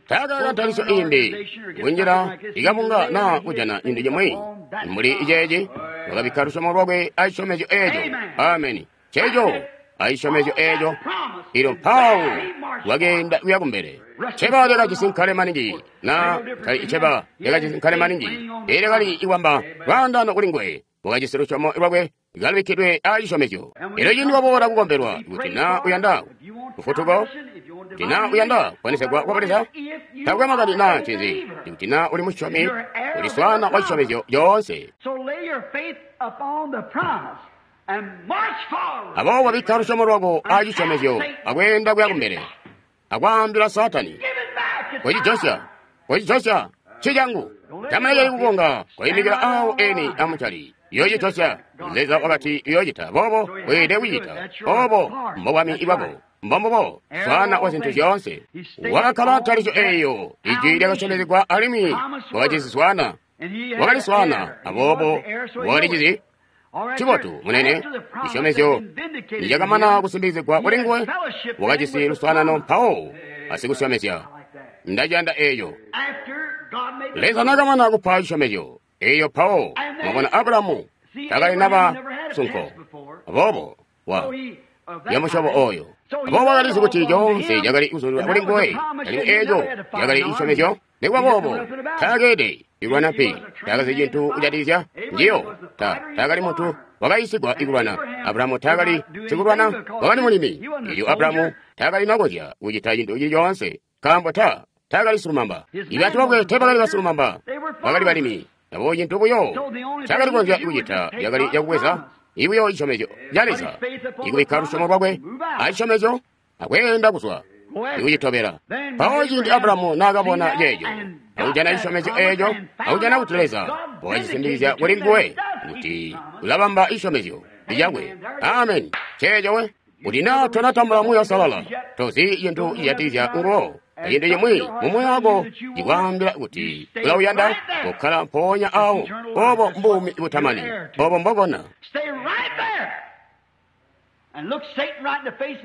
Taakaka ntalisyo imbi kunjila ikabunga naa kujana cintu cimwi mbuli iceeci. Wakabikka lusyomo lwakwe acisyomezyo eeco. Ameni. Nceeco acisyomezyo eeco. Ilo mpawo wakeenda kuya kumbele. Cheba lyakajisi nkale maningi na kali cheba lyakajisi nkale maningi. Elyo kali iwamba lwaandano kuli nguwe. Wakajisi lusyomo lwakwe kalubikkidwe aa cisyomezyo. Elyo cindi waboola kukombelwa, kuti na uyanda lufutuko, kuti na uyanda kuponesegwa kwa Leza, takwe makani naa ncinzi, kuti na uli musyomi, uli swaana wa cisyomezyo coonse. Aboobo bikka lusyomo lwako aa cisyomezyo akweenda kuya kumbele, akwaambila Saatani, kocijosya, kocijosya, nci cangu. Tamalekeli kukonga, koimikila awo eni amucali. Yocijosya. Leza wakati uyocita boobo, weelede kucita obo. Mbobwami bwako, mbombubo swaana wa zintu zyoonse. Wakakkala ntalisyo eeyo, ijwi lyakasyomezegwa, alimwi wakajisi swaana, wakali swaana, aboobo wakalicizi. Cibotu, munene, cisyomezyo nicakamana kusimbikizigwa kuli nguwe, wakajisi luswaanano mpawo asikusyomezya. Ndaciyanda eeyo. Leza nakamana kupa cisyomezyo eeyo, mpawo mwabona Abulahamu takali naba sunko, aboobo wa yamusyobo oyo. Aboobo wakalizi kuti coonse cakali kuzulilwa kuli nguwe, alimwi eeco cakali cisyomezyo. Nikuba boobo taakeede ikulwana pe, taakazi cintu kujatikizya njiyo. Ta taakali muntu wakayiisigwa ikulwana. Abulahamu taakali sikulwana, wakali mulimi. Elyo Abulahamu taakali nakonzya kucita cintu cili coonse, nkaambo ta taakali silumamba. Ibantu bakwe teebakali basilumamba, bakali balimi. Aboobo cintu buyo ncaakali kukonzya kucita cakali cakubweza ibuyo cisyomezyo ca Leza, ikubikka lusyomo lwakwe acisyomezyo akweenda kuzwa ikucitobela. Mpawo ciindi Abulahamu naakabona ceeco, akujana cisyomezyo eeco, akujana kuti Leza wakacisimbikizya kuli nguwe kuti ulabamba cisyomezyo cakwe. Ameni. Ceeco we. Kuti naa tonatambula Muuya Uusalala, tozi cintu cijatikizya nguwo. Cintu cimwi mu moyo wako cikwaambila kuti ulauyanda, kokkala mpoonya awo. Obo mbuumi butamani, obo mbokona.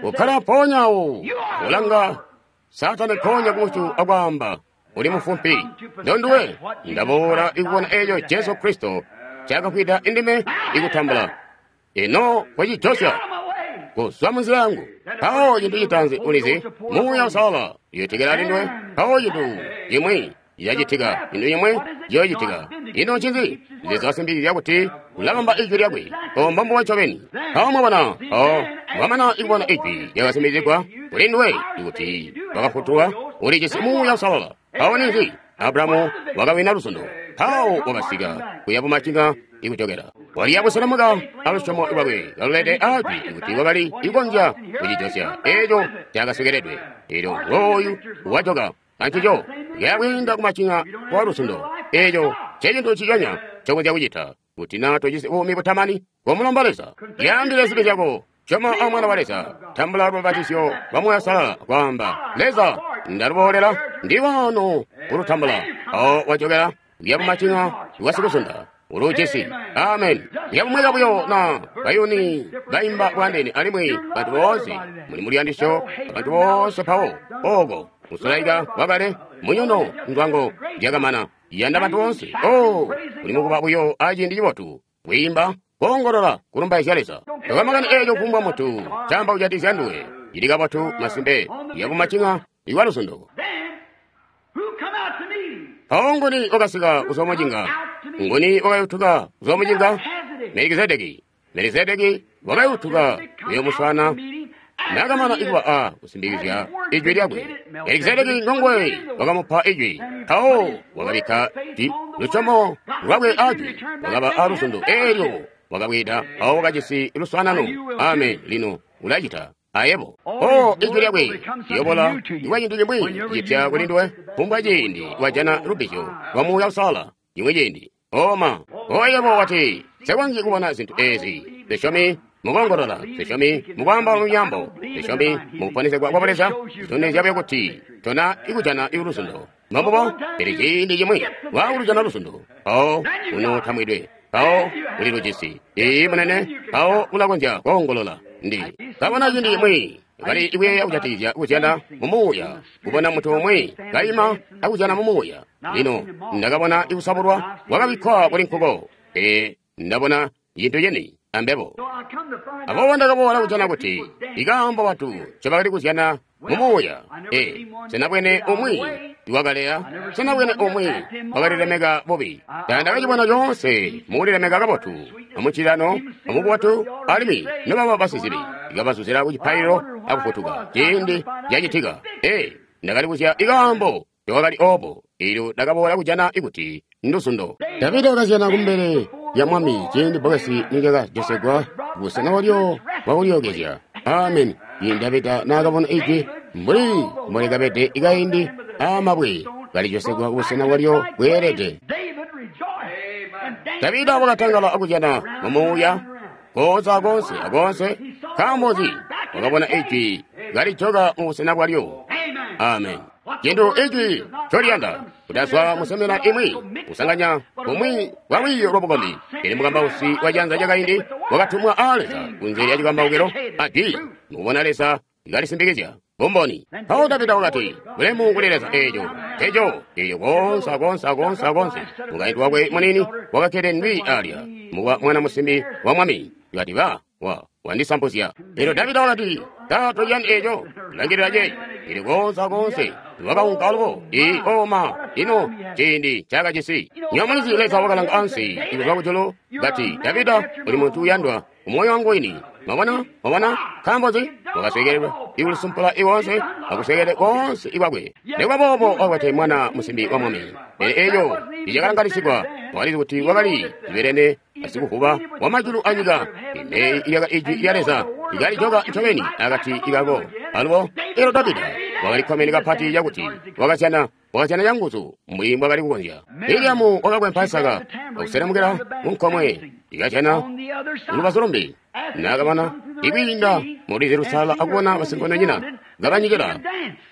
Kokkala mpoonya awo, ulanga Saatani mpoonya kumusyu akwaamba, uli mufumpi, ndonduwe. Ndaboola ikubona eeco Jesu Kristo ncaakafwida indime ikutambula. Ino kocijosya, kuzwa munzila yangu. Mpawo cintu citaanzi ulizi, Muuya Uusalala uyotekela alinduwe. Mpawo cintu cimwi cilacitika, cintu cimwi ciyoocitika. Ino ncinzi? Leza wasimbikizya kuti ulabamba ijwi lyakwe. Obo mbombubo ncobeni. Mpawo mwabona, mpawo mwamana ikubona ijwi lyakasimbikizigwa kuli nduwe ikuti wakafutulwa, ulijisi Muuya Uusalala. Mpawo ninzi? Abulahamu wakawina luzundo. Mpawo wakasika kuya bumacinga ikujokela. Waliya buselemuka alusyomo lwakwe kalulede ajwi kuti wakali ikonzya kucijosya eeco cakasekeledwe. Elyo ngooyu wajoka ancico kuyakwiinda kumacinga kwa luzundo. Eeco ncecintu nciconya ncokonzya kucita kuti naa tojisi buumi butamani. Komulomba Leza, lyaambile zibi zyako, syoma a Mwana wa Leza, tambula lubabatizyo lwa Muuya Uusalala, kwaamba, Leza, ndaluboolela, ndi wano kulutambula. Mpawo wajokela kuya bumacinga bwasikuzunda uluujisi. Amen. Yabumweka buyo na bayuni baimba bwandeene, alimwi bantu boonse muli muluyandisyo, abantu boonse mpawo oko musulaika wakale munyono ndwango lyakamana yanda bantu boonse. Oh, muli mukuba buyo aciindi cibotu kwiimba, koongolola, kulumbaizya Leza. Tokamakani eeco kufumbwa muntu camba kujatikizya nduwe, cili kabotu masimpe yabumacinga ikwa luzundo. Mpawo nguni wakasika kuzwa mucinga? Nguni wakayutuka kuzwa mucinga? Melikizedeki. Melikizedeki wakayutuka kuyomuswaana nakamana ikuba a kusimbikizya ijwi lyakwe. Melikizedeki ngonguwe wakamupa ijwi. Mpawo wakabikka lusyomo lwakwe ajwi, wakaba a luzundo eelyo wakabwida, mpawo wakajisi luswaanano. Amen. Lino ulacita ayebo. Oh, ijwi lyakwe liyobola ikwa cintu cimwi cipya kuli nduwe kufumbwa ciindi wajana lubbizyo lwa Muuya Uusalala cimwi ciindi. Oma, oyebo wati, nsekonzyi kubona zintu eezi. Nse mukoongolola, nse mukwaamba lunyambo, nse mukuponesegwa kwa Leza. Zitondezya buyo kuti tona ikujana luzundo. Mbombubo, pele ciindi cimwi waakulujana luzundo, mpawo unootambwidwe, mpawo uli lujisi. Iiyi munene, mpawo ulakonzya koongolola. Ndi kabona ciindi cimwi kali ikuyeeya kujatikizya kuzyana mu muuya, kubona muntu umwi kaima akuzyana mu muuya. Lino ndakabona ikusabulwa kwakabikkwa kuli nkuko, pele ndabona cintu cini ambebo. Aboobo ndakaboola kujana kuti ikaambo bantu ncobakali kuzyana mu muuya. E, sinabwene umwi iwakaleya? Sena bwene umwi wakalilemeka bubi? Tandakacibona coonse mukulilemeka kabotu, amucilano, amububotu, alimwi nobaba basizibi ikabazuzila ku cipaililo akufutuka ciindi cacitika. Ee, ndakalibuzya ikaambo lyakali obo, eelyo ndakaboola kujana ikuti nduzundo. Davida wakazyana kumbele lya mwami ciindi bbokesi nilyakajosegwa busena walyo bwakulyookezya. Amen. Ciindi Davida naakabona ijwi mbuli mbolikabede ikaindi aamabwe kalijosegwa kubusena bwalyo bweelede, Davida wakatangala akuzyana mumuuya koonse akoonse akoonse. Nkaambo nzi? Wakabona ijwi kalijoka mubusena bwalyo. Amen. Cintu ijwi ncoliyanda kutazwa musemena imwi kusanganya bumwi bwa lwiiyo lwabukombi. Pele mukambausi wa cianza cakaindi wakatumwa aa Leza kunze lya cikambaukilo ajwi mukubona Leza kalisimbikizya bumboni. Mpawo Davida wakati, bulemu kuli Leza eeco eco eelyo koonse akoonse akoonse akoonse. Mukaintu wakwe munini wakakkede ndwi alya muka mwana musimbi wa mwami kati ba wa wandisampuzya. Elyo Davida wakati, tatolyani eeco, langilila ceeco. Ili koonse akoonse wakaunka alubo. I oma ino ciindi cakajisi. Nyamulizi Leza wakalanga ansi ikuzwa kujulu kati, Davida uli muntu uyandwa umoyo wangu wini. Mwabona? Mwabona? Nkaambo nzi? Wakaswekelelwa ikulisumpula iwonse akusekele konse ikwakwe. Nikuba boobo wakwete mwana musimbi wa mwami. Pele eeco icakalanganisigwa wakalizi kuti wakali zibelene asikuvuba wa majulu anyika. Ime iyaka ijwi lya Leza ikalijoka ncobeni akati ikako. Alubo elo Davida wakalikkomene kapati cakuti wakazyana wakazyana canguzu mbuli mbwakali kukonzya. Miriamu wakakwempa isaka akuselemukila munkomwe ikazyana lubazu lumbi. Naakabona ikwiinda mulwizi lusala akubona basinkondonyina kabanyikila,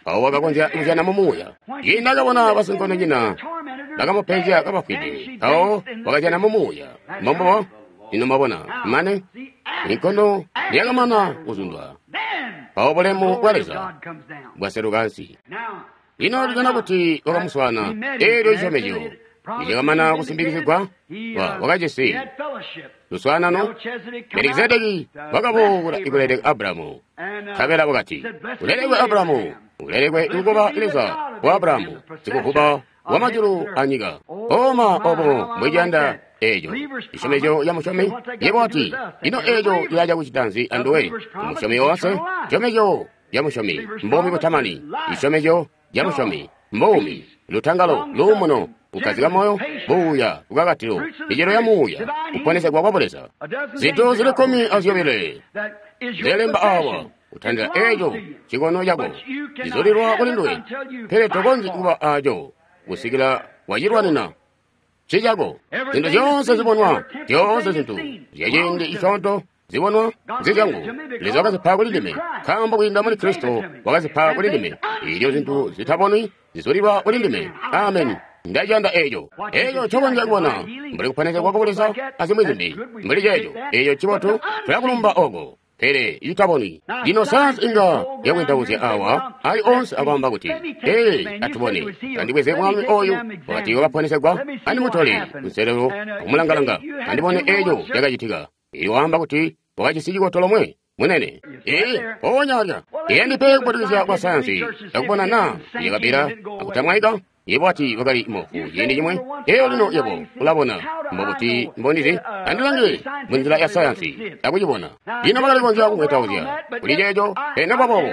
mpawo wakakonzya kuzyana mumuuya. Ciindi akabona basinkondonyina bakamupenzya kabafwide, mpawo wakazyana mumuuya. Mbombubo ino mwabona mane inkondo yakamana kuzundwa, mpawo bulemu bwa Leza bwaseluka ansi. Lino tujana kuti wakamuswaana eelyo cisyomezyo nicakamana kusimbikizigwa, wakajisi luswaanano. Melikizedeki wakaboola ikuleleka Abulahamu, nkabela wakati, ulelekwe Abulahamu, ulelekwe ikuba Leza wa Abulahamu, sikuvuba wa majulu anyika. Oma obo mbwiciyanda eeco cisyomezyo ca musyomi. Yebo wati, ino eeco cilaca kucita nzi anduwe? Umusyomi woonse, cisyomezyo ca musyomi mbuumi butamani. Cisyomezyo ca musyomi mbuumi, lutangalo, luumuno, kukkazika moyo, buuya, lukakatilo, micelo ya muuya, kuponesegwa kwa Buleza. Zintu zili kkumi azyobile zilemba awa kutandila eeco cikono cako cizulilwa kuli nduwe, pele tokonzyi kuba aco kusikila wacilwanina cicako. Zintu zyoonse zibonwa, zyoonse zintu zyaciindi cisyoonto zibonwa nzizyangu. Leza wakazipa kuli ndime, nkaambo kwiinda muli Kristo wakazipa kuli ndime. Eelyo zintu zitabonwi zizulilwa kuli ndime. Amen. Ndaciyanda eeco. Eeco ncokonzya kubona mbuli kuponesegwa kwa Buleza azimwi zimbi mbuli ceeco. Eeco cibotu, tulakulumba oko, pele itabonwi. Lino sayansi inga yakwentauzya awa ali onse akwaamba kuti, ee, atubone, andibweze mwami oyu wakati wakaponesegwa, andimutole kunselelo akumulangalanga, andibone eeco cakacitika. Iyo waamba kuti wakajisi cikoto lomwe munene. Ee, mpoonya alya. Iyandipe kubotelezya kwa sayansi akubona naa yakapita akutamwaika. Yebo ati wakali mofu ciindi cimwe, eyo lino yebo ulabona. Mbobuti mbondizi? Andilange munzila ya sayansi akucibona. Lino bakali kukonzya kumwetauzya kuli ceeco, pele nokuba boobo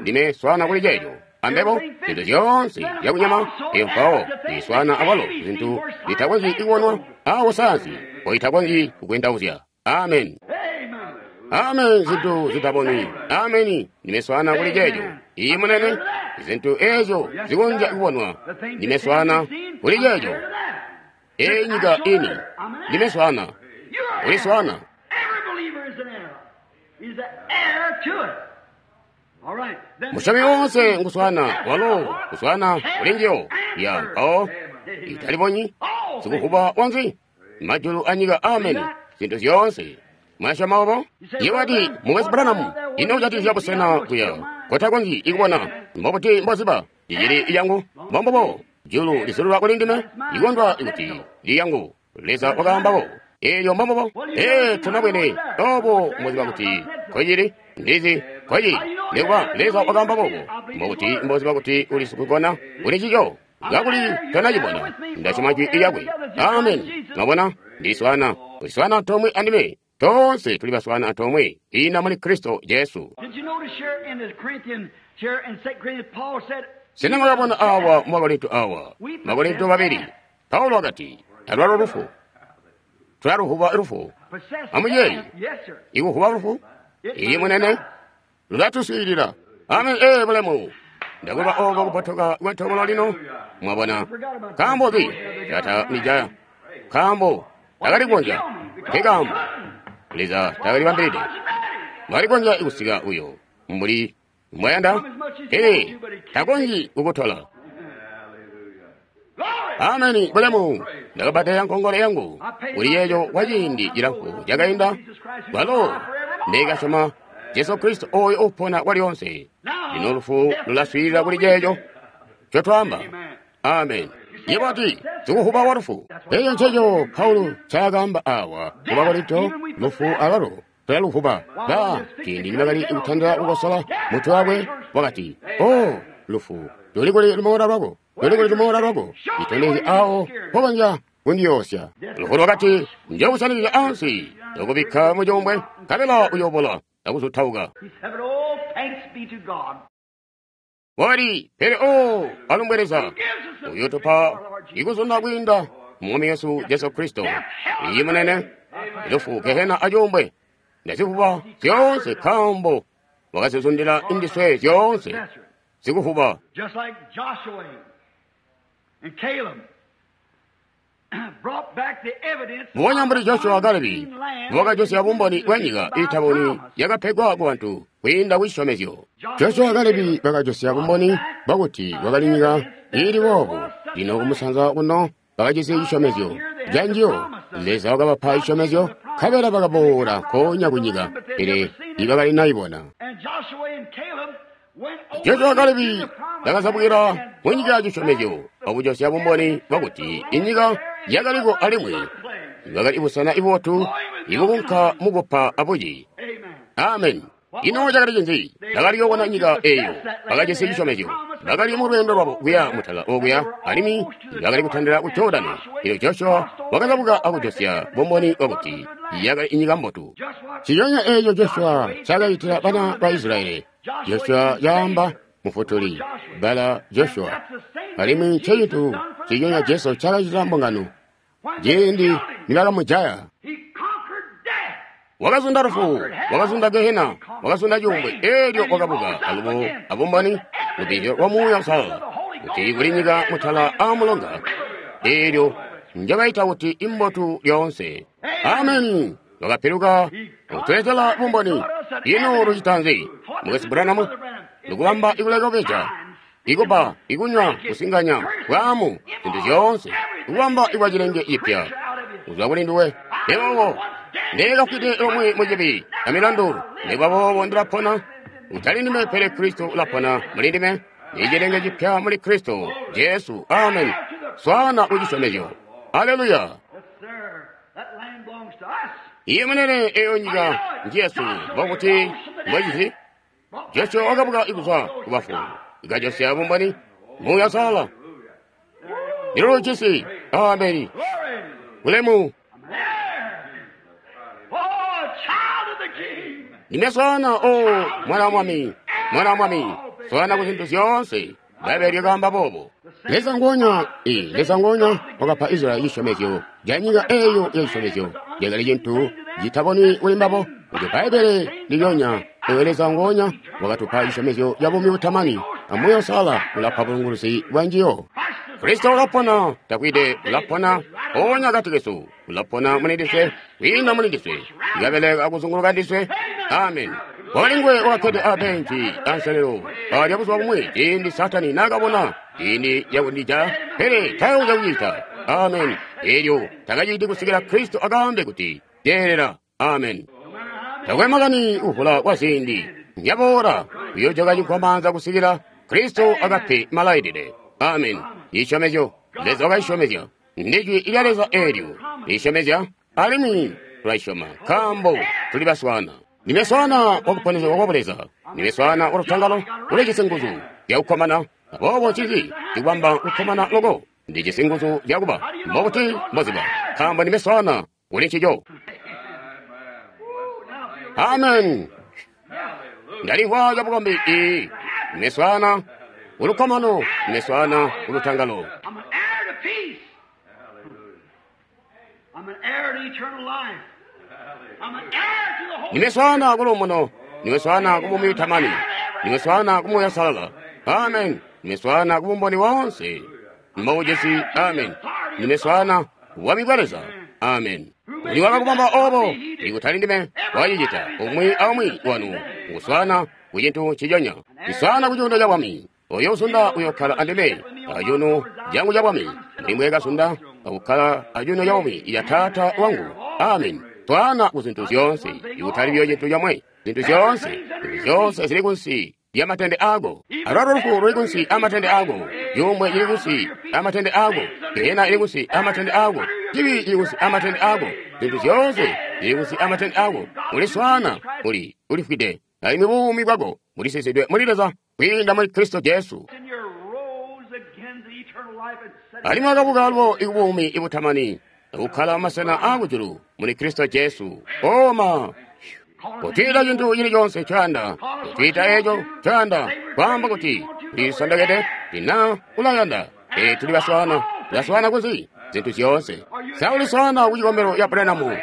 ndime swaana kuli ceeco. Ambebo zintu zyoonse zyakunyama eyo mpawo ndiswaana awalo zintu zitakonzyi kubonwa awo sayansi mpoitakonzyi kukwentauzya. Amen. Amen. Zintu zitabonwi. Ameni. Ndime swaana kuli ceeco. Iyi munene, zintu eezyo zikonzya kubonwa. Ndime swaana kuli ceeco. Eyi nyika ini. Ndime swaana. Uli swaana. Musyomi woonse nguswaana walo kuswaana kuli njiyo. Ya mpawo italibonyi sikuvuba wanzi majulu anyika. Ameni. Zintu zyoonse. Mwasyoma obo? Yebo ati, Mukwesu Branham, ino ujatikizya busena kuya kotakonzyi ikubona. Mbobuti mboziba icili iyangu? Mbombubo julu lizululwa kuli ndime, ikondwa ikuti liyangu. Leza wakaambako. Eelyo mbombubo. Ee, tonabwene obo mboziba kuti nkoicili. Ndizi kwaci nikuba Leza wakaamba boobo. Mbokuti mboziba kuti uli sikukona kuli cico. Kakuli tonacibona. Ndasyoma jwi lyakwe. Amen. Mwabona? Ndiswana. Uliswana antoomwe andime. Tonse tuli baswana antoomwe. Ina muli Kristo Jesu. Did you notice here in the Corinthian, here in Second Corinthians, Paul said, Sena mwakabona awa mu Bakorinto awa. Bakorinto babiri. Paulo akati, alwalo lufu. Tulaluhuba lufu. possess Amuyeyi. death. Yes, sir. Ikuhuba lufu. Iyi munene. Lulatuswilila. Amen. Eh, bulemu. Ndakuba oko kupotoka kwetobolo lino. Mwabona. Kambo ki. Tata nijaya. Kambo. Takalikonja. Nkekambo. Leza takalibambilide. Mwalikonja ikusika uyo. Mbuli mwayanda. Ee, takonji kukutola. Ameni, bulemu. Ndakabadela nkongole yangu. Kuli yeyo kwa ciindi cilamfu cakainda. Kwalo, ndikasyoma Jesu Kristo oyo upona kwalionse. Lino lufu lulaswilila kuli ceeco ncotwaamba. Amen. Yebo ati, sikuhuba wa lufu. Eyo nceco Paulo ncaakaamba awa ku Bakorinto, lufu alwalo tulaluhuba. Ba, ciindi nibakali kutandila kukosola mutwe wakwe, wakati, O, lufu, luli kuli lumola lwako, luli kuli lumola lwako, itondezye awo mpokonzya kundiyoosya. Lufu lwakati, njokusanikizya ansi, ndokubikka mucuumbwe, nkabela uyoobola akuzutauka. He said, Oh, thanks be to God. Wakati, pele o, alumbwe Leza, uyotupa ikuzunda kwiinda mu Yesu Jesu Kristo. Iyi munene, lufu gehena acuumbwe, ndazivuba zyoonse nkaambo wakazizundila indiswe zyoonse Yes, sir. zikuvuba. Just like Joshua and Caleb brought back the evidence Mbubonya mbuli Joshua of the Kalebi unseen land wakajosya bumboni bwa nyika iitabonwi yakapegwa ku bantu kwiinda ku cisyomezyo. Joshua Kalebi bakajosya bumboni bwakuti kwakali nyika iili boobu. Lino kumusanza kuno bakajisi cisyomezyo canjiyo. Leza wakabapa cisyomezyo, nkabela bakaboola nkoonya ku nyika, pele ibakali nayibona. And Joshua and Caleb went over Joshua Kalebi into the promised bakazabukila land mu nyika ya cisyomezyo akujosya bumboni bwakuti inyika yakaliko alimwi bakali busena ibotu ibukunka mukupa abuci. Amen. Amen. Ino cakali cinzi? Bakali yoona nyika eyo. Bakajisi cisyomezyo. Bakali mu lweendo lwabo kuya mutala okuya, alimwi bakali kutandila ku Jordani. Elyo Joshua wakazabuka akujosya bumboni bwakuti yakali inyika mbotu. Just what Ciyonya eeco Joshua cakayitila bana ba Israyeli. Joshua yaamba mufutuli, bala Joshua. Alimwi ncecintu ciyonya Jesu cakacitila mbungano. when they Ciindi killed him, nibakamujaya. he conquered death. Wakazunda lufu, wakazunda gehena, wakazunda cuumbwe, elyo wakabuka alubo abumboni lubizyo lwa Muuya Uusalala kuti kuli nyika mutala aamulonga, elyo njobaita kuti imbotu lyoonse. Ameni. Wakapiluka akutuletela bumboni. Ino lucita nzi? Mukwesu Branham, lukubamba ikuleka kubeja, ikuba, ikunywa, kusinganya, bwaamu, zintu zyoonse, ikubamba ikwa cilenge cipya. Kuzwa kuli nduwe. Lero ndekafwide lomwe mucibi amilandu, nikuba boobo ndilapona. Utali ndime pele Kristo ulapona muli ndime. Ni cilenge cipya muli Kristo Jesu. Amen. Swana kucisyomezyo. Haleluya. Yes, sir. That land belongs to us. Iye munene eyo nyika njesu mbokuti mbwecizi. Joshua wakabuka ikuzwa kubafu. Ikajosya bumboni. Muuya Uusalala. Ndilo cisi. Ameni. Glory. Ulemu. I'm there. Oh, child of the King. Ndime swana o mwana wa mwami, mwana wa mwami, swana ku zintu zyoonse. Bbaibele lyakaamba boobo. Leza ngonya, ee, Leza ngonya wakapa Israyeli cisyomezyo ca nyika eyo ya cisyomezyo. Cakali cintu citabonwi kuli mbabo. Kuti Bbaibele lilyonya, oyo Leza ngonya wakatupa cisyomezyo ca buumi butamani. Amuuya Uusalala ulapa bulunguluzi bwa njiyo. Kristo ulapona, takwide ulapona, onya akati kesu, ulapona muli ndiswe, kwiinda muli ndiswe, ikabeleka akuzunguluka ndiswe. Amen. Wakali nguwe wakakkede abenci anselelo alya buzuba bumwi ciindi Satani naakabona ciindi cakundija, pele takonzya kucita. Amen. Elyo takaciti kusikila Kristo akaambe kuti yeelela. Amen. Takwe makani kuvula kwa ziindi yaboola kuyojoka cikwamaanza kusikila Kristo akape malailile. Amen. Isyomezyo Leza wakayisyomezya ndijwi lya Leza eelyo lisyomezya, alimwi tulayisyoma nkaambo tuli baswana. Ndime swaana wakuponesegwa kwa Buleza. Ndime swaana wa lutangalo, ulijisi nguzu zyakukkomana. Aboobo ncinzi cikubamba kukkomana loko? Ndijisi nguzu zyakuba. Mbobuti mboziba? Nkaambo ndime swaana kuli ncico. Amen. Ndalimvwa cabukombi ii. Ndime swaana kulukkomano, ndime swaana kulutangalo. I'm an heir to peace. I'm an heir to eternal life. I'm an heir to the Holy Ndime swaana kuluumuno, ndime swaana kubuumi butamani, ndime swaana kumuuya uusalala. Amen. Ndime swaana kubumboni woonse mboujisi. Amen. Ndime swaana bwami bwa Leza. Amen. Uli wakakubamba obo, ikutali ndime wacicita, umwi aumwi wanu ukuswaana ku cintu nciconya. Ndiswaana ku cuuno ca bwami. Oyo usunda uyokkala andime acuuno cangu ca bwami, mbuli mbweekasunda akukkala acuuno ca bwami ya Taata wangu. Amen. Swaana ku zintu zyoonse, ikutali buyo cintu comwe, zintu zyoonse, zintu zyoonse zili kunsi lya matende ako. Alwalo lufu luli kunsi amatende ako, yomwe ili kunsi amatende ako, gehena ili kunsi amatende ako, cibi cili kunsi amatende ako, zintu zyoonse zili kunsi amatende ako. Uli swaana, uli ulifwide, alimwi buumi bwako bulisisidwe muli Leza kwiinda muli Kristo Jesu. And you rose again to eternal life and set Alimwi wakabuka alubo ikubuumi ibutamani, akukkala masena aakujulu muli Kristo Jesu. Oma! Kutwiita cintu cili conse ncoyanda, kutwiita eco ncoyanda, kwaamba kuti tulisondokede, tina ulayanda. Ee, tuli baswaana, baswaana kunzi zintu zyoonse. Sa uliswaana ku cikombelo ya Branham?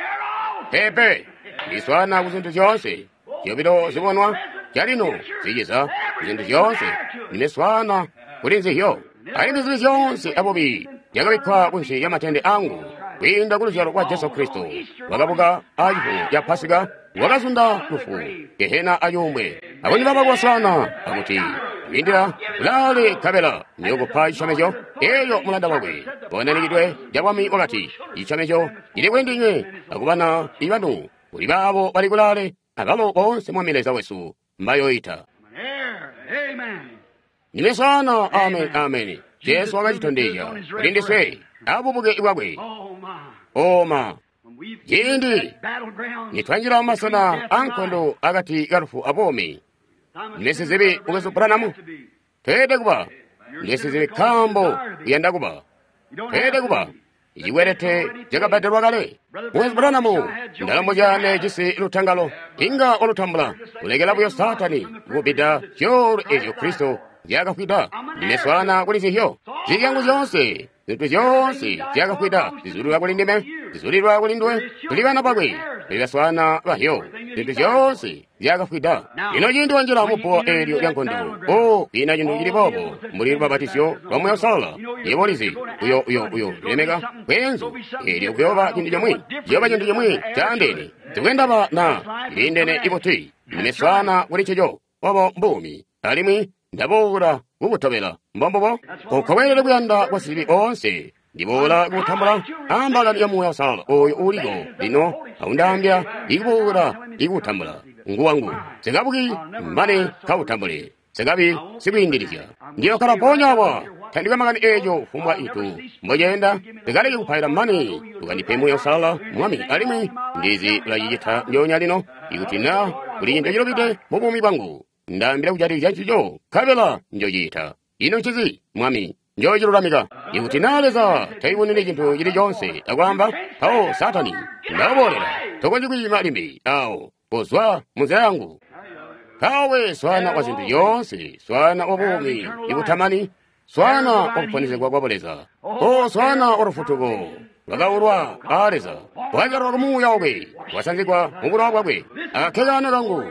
Pepe, ndiswaana ku zintu zyoonse. Zyobilo zibonwa calino ziciza zintu zyoonse. Ndime swaana kuli nzizyo. Alimwi zibi zyoonse abubi zyakabikkwa kunsi ya matende angu kwiinda ku luzyalo lwa Jesu Kristo. Wakabuka acifumo ca Pasika, wakazunda lufu, gehena acuumbwe. Akundibamba kubaswaana akuti lindila kulaale nkabela ndiyokupa cisyomezyo eeco mulanda wakwe wananikidwe cabwami wakati cisyomezyo cili kuli ndinywe akubana ibanu kuli baabo bali kulaale abalo boonse Mwami Leza wesu mbayoyita. I'm an heir. Amen. Ndime swaana. Amen, amen. Jesu wakacitondezya kuli ndiswe abubuke bwakwe. Oh my. Oma When we Ciindi that battleground, nitwanjila mumasena ankondo akati kalufu abomi, I'm a ndime sinner sizibi by mukwesu Branham to be. tweelede kuba ndime sizibi nkaambo kuyanda kuba You don't tweelede have kuba to be. icikwelete cakabbadelwa kale. Mukwesu Branham ndalombozya jisi lutangalo inga walutambula kulekela buyo Saatani kukubbida zyoolu ezyo Kristo nzyaakafwida. Ndime swaana kuli nzizyo zilyangu zyoonse, zintu zyoonse zyakafwida zizulilwa kuli ndime, zizulilwa kuli nduwe. Tuli bana bakwe, tuli baswaana bahyo, zintu zyoonse zyakafwida. Lino ciindi wanjila mubbuwa eelyo lya nkondo, o kwiina cintu cili boobo mbuli lubapatizyo lwa Muuya Uusalala. Yebo ulizi, uyo uyo uyo lilemeka bweenzu eelyo kuyooba cintu comwe, ciyooba cintu cimwi caandeene. Sikwendaba na liindene ibuti, ndime swaana kuli ncico. Obo mbuumi, alimwi ndaboola kukutobela. Mbombubo uko weelede kuyanda kwa sizibi oonse. Ndiboola kukutambula ambalani ya Muuya Uusalala oyo uliko lino aundaambya ikuboola ikutambula nguwangu. Sikabuki mane kautambule, sikabi sikwiindilizya. Ndiyokkala mpoonya awa tandikwe makani eeco kufumbwa itu mboceenda. Ndikaleke kupaila mane ukandipe Muuya Uusalala Mwami, alimwi ndizi ulacicita ndyoonya lino. Ikuti na kuli cintu cilubide mu buumi bwangu, ndaambila kujatikizya ncico, nkabela njocita. Ino ncinzi, Mwami? Njocilulamika. Ikuti na Leza taiboneli cintu cili coonse akwaamba, mpawo Saatani ndakuboolela, tokonzyi kwiima limbi awo, kozwa munzila yangu. Mpawe swaana wa zintu zyoonse, swaana wa buumi ibutamani, swaana wa kuponesegwa kwa Buleza, o swaana wa lufutuko lwakaulwa aa Leza, wazyalwa ku Muuya wakwe, wasanzigwa mu bulowa bwakwe. Akakekano kangu,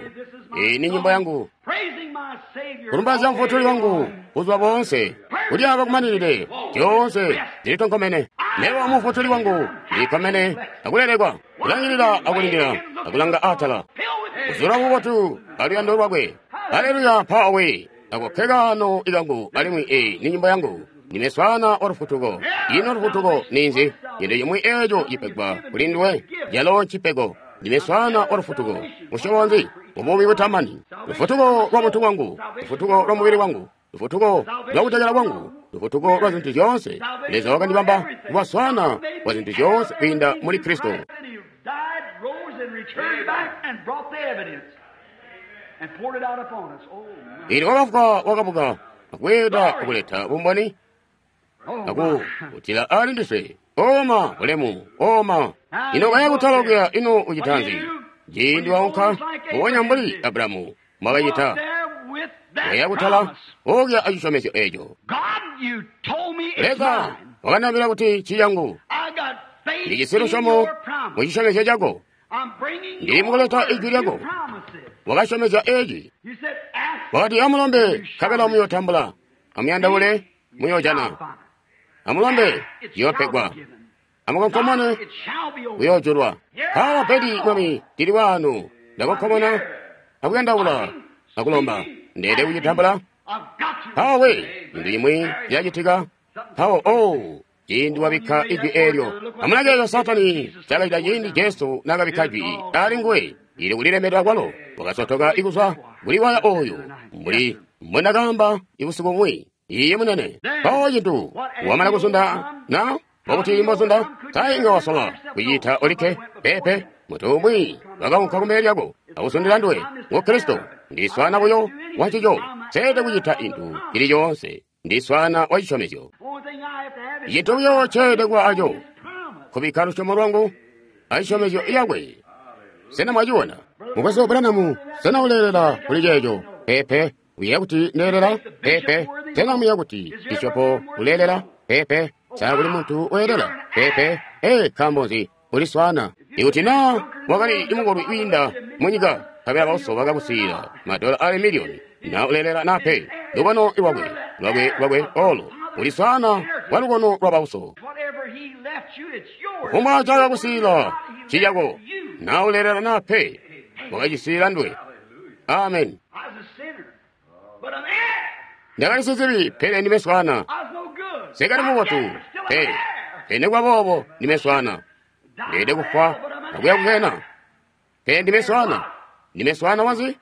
iyi ni nyimbo yangu, Praising my Savior. kulumbaizya Mufutuli wangu buzuba boonse, kulyaaba kumaninide, zyoonse zilitonkomene. Mebo Mufutuli wangu ndilikkomene akulelekwa, kulangilila akulindila akulanga atala, Filled with kuzula bubotu aluyando lwakwe. Haleluya! Mpawe ako kekano ikangu, alimwi eyi ni nyimbo yangu. Ndime swaana wa lufutuko. Ino lufutuko ninzi? Cintu cimwi eco cipegwa kuli nduwe, calo ncipego. Ndime swaana wa lufutuko. Musyobo nzi? Mubuumi butamani. Lufutuko lwa muntu wangu, lufutuko lwa mubili wangu, lufutuko lwa kutekela kwangu, lufutuko lwa zintu zyoonse. Leza wakandibamba kuba swaana wa zintu zyoonse kwiinda muli Kristo. And he died, rose, and returned back and Ili wakafwa wakabuka akweeda akuleta bumboni aku kutila ali ndiswe oma bulemu oma ino kaya kutala ino ucitanzi ciindi waunka mbubonya mbuli Abrahamu mwakacita kaya kutala okya acisyomezyo eco. Leza wakandaambila kuti ciyangu ndijisi lusyomo mu cisyomezyo cako, ndili mukuleta ijwi lyako. Wakasyomezya eci, wakati amulombe nkabela muyotambula, amuyandaule muyojana, amulombe ciyopegwa, amukonkomone kuyoojulwa. Mpawa pedi Mwami ndili wanu, ndakonkomona akuyandaula akulomba, ndeede kucitambula. Mpawa we intu imwi yacitika. Mpawo oh ciindi wabikka ijwi eelyo, amulange Satani cakacita ciindi Jesu naakabikka jwi ali nguwe ili kulilemeka kwalo, wakasotoka ikuzwa kuli waya oyo mbuli mbwendakaamba ibusiku bumwi. Iye munene. Mpawo cintu wamana kuzunda na wakuti mbozunda sainga wasola kucita olikke pepe mutu umwi wakaunka kumbele lyako akusundila nduwe ngu Kristo. Ndiswana buyo wancico, seede kucita intu cili coonse, ndiswana wa cisyomezyo. Cintu buyo ceede kuba aco kubikka lusyomo lwangu acisyomezyo yakwe. Sena mwaciona mukwesu Branham? Sena uleelela kuli ceeco? Pepe. Uyeeya kuti ndeelela? Pepe. Sena muyeeya kuti bishopo uleelela? Pepe. Sa kuli muntu weelela? Pepe. Ee, nkaambo nzi? Uliswana. Ikuti naa wakali imukolwi wiinda munyika, nkabela bauso bakakusiila madola ali miliyoni, na uleelela na pe, lukono lwakwe lwakwe lwakwe olo uliswana wa lukono lwa bauso. Kufumbwa cakakusiila ciyako, na uleelela na pe, wakacisiila ndwe. Amen. Ndakali sizibi, pele ndime swana. Sekali mubotu, pe pene kwa boobo ndime swana. Ndeede kufwa akuya kukena, pele ndime swana. Ndime swana wanzi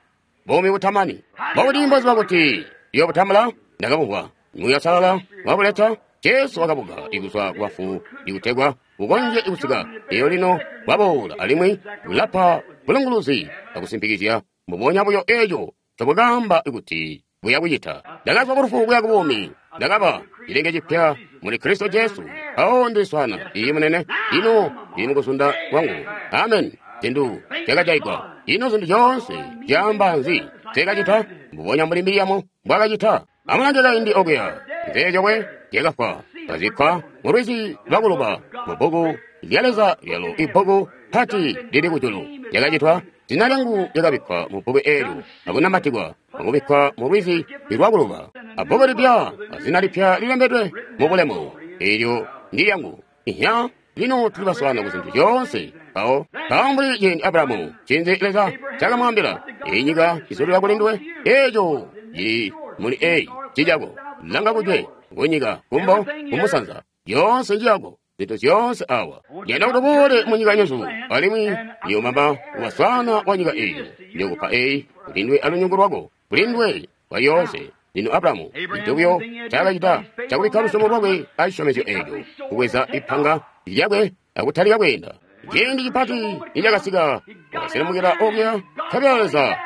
buumi butamani. Mbokuti mboziba kuti iyo butambula ndakabumvwa Muuya Salala wabuleta. Jesu wakabuka ikuzwa kubafu ikutegwa bukonzye kusika iyo lino bwaboola alimwi bulapa bulunguluzi akusimpikizya mbubonya buyo eco ncobwakaamba kuti buya kucita. Ndakazwa kulufu kuya kubuumi, ndakaba cilenge cipya muli Kristo Jesu. Awo ndiswana iyi munene, ino ndili mukuzunda kwangu. Amen. Zintu zyakajaigwa, ino zintu zyoonse zyaamba nzi? Zyakacita mbubonya mbuli Miriamu mbwakacita. Amulange kaindi okuya, nzeezyokwe zyakafwa, kazikkwa mulwizi lwakuluba mubbuku lya Leza lyalo ibbuku pati lili kujulu. Lyakacitwa, zina lyangu lyakabikkwa mubbuku eelyo akunamatikwa akubikkwa mulwizi lwakuluba. Abbuku lipya azina lipya lilembedwe mubulemu, eelyo ndi lyangu. Ihya, lino tuli baswana ku zintu zyoonse. Mpawo mpawo mbuli ciindi Abrahamu cinzi Leza cakamwaambila, iyi nyika izulila kuli nduwe, eeco cili muli eyi cicako. Langa kujwe, kunyika, kumbo, kumusanza, yoonse njiyako, zintu zyoonse awa. Ndiyanda kuti uboole munyika nyesu, alimwi ndiyomamba waswana wa nyika eyi. Ndiyokupa eyi kuti ndwe alunyungu lwako, kuli ndwe kwa yoonse. Lino Abrahamu cintu buyo cakacita cakubikka lusyomo lwakwe acisyomezyo eeco, kubweza ipanga lyakwe akutalika kweenda. Ciindi cipati nicakasika, wakaselemukila okuya nkabela Leza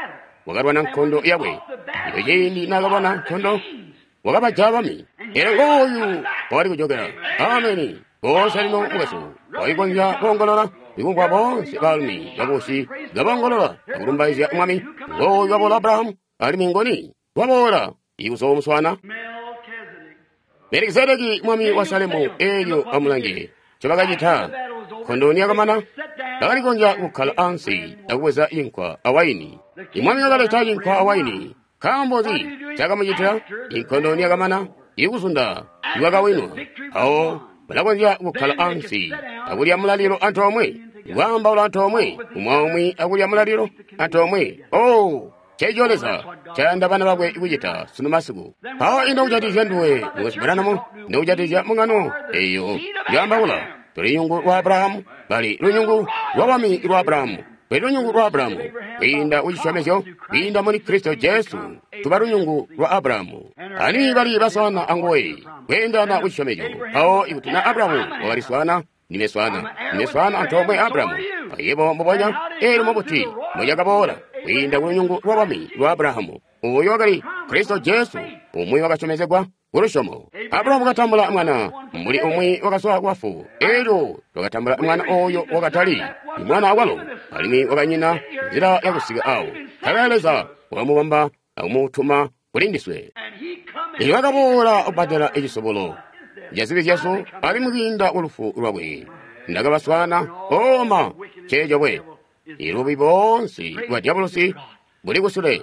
wakalwana nkondo yakwe. Iyo ciindi naakalwana nkondo, wakabajaya bami. Elyo ngooyu wakali kujokela. Ameni. Boonse lino mukwesu walikonzya koongolola, ikumvwa boonse baalumi bakusi kaboongolola akulumbaizya Mwami. Ngooyu waboola Abrahamu, alimwi ngoni waboola ikuzoomuswana Melikisedeki mwami wa Salemu. Eelyo amulange ncobakacita. Nkondo niyakamana, bakalikonzya kukkala ansi akubweza cinkwa awaini. Imwami wakaleta cinkwa awaini. Nkaambo nzi cakamucitila? Inkondo niyakamana, ikuzunda ikwakawinwa. Mpawo balakonzya kukkala ansi akulya mulalilo antoomwe, kwaambaula antoomwe, umwi aumwi akulya mulalilo antoomwe. Oh, ceeco Leza cayanda bana bakwe kucita sunu masiku. Mpawo ino kujatikizya nduwe mukwesu Branham? Ino kujatikizya mbungano eyo yaambaula? Tuli lunyungu lwa Abrahamu, bali lunyungu lwa bwami lwa Abrahamu. Tuli lunyungu lwa Abrahamu kwiinda kucisyomezyo, kwiinda muli Kristo Jesu, tuba lunyungu lwa Abrahamu. Ani bali baswana anguwe kweendelana kucisyomezyo. Mpawo ikuti na Abrahamu wakaliswana Ndime swaana. Ndime swaana antoomwe Abrahamu. Ayebo mbubonya, eelyo mubuti mbucakaboola kwiinda ku lunyungu lwa bwami lwa Abrahamu. Uyo wakali Kristo Jesu, umwi wakasyomezegwa ku lusyomo. Abrahamu wakatambula mwana, mbuli umwi wakazwa ku bafu. Eelyo wakatambula mwana oyo wakatali mwana awalo, alimwi wakanyina nzila yakusika awo. Nkabela Leza wakamubamba akumutuma kuli ndiswe. Eelyo wakaboola kubbadela icisobolo ca zibi zyesu, alimwi kwiinda ku lufu lwakwe ndakabaswaana oma ceeco bwe. Ilubi boonse bwa dyabolosi buli kusule.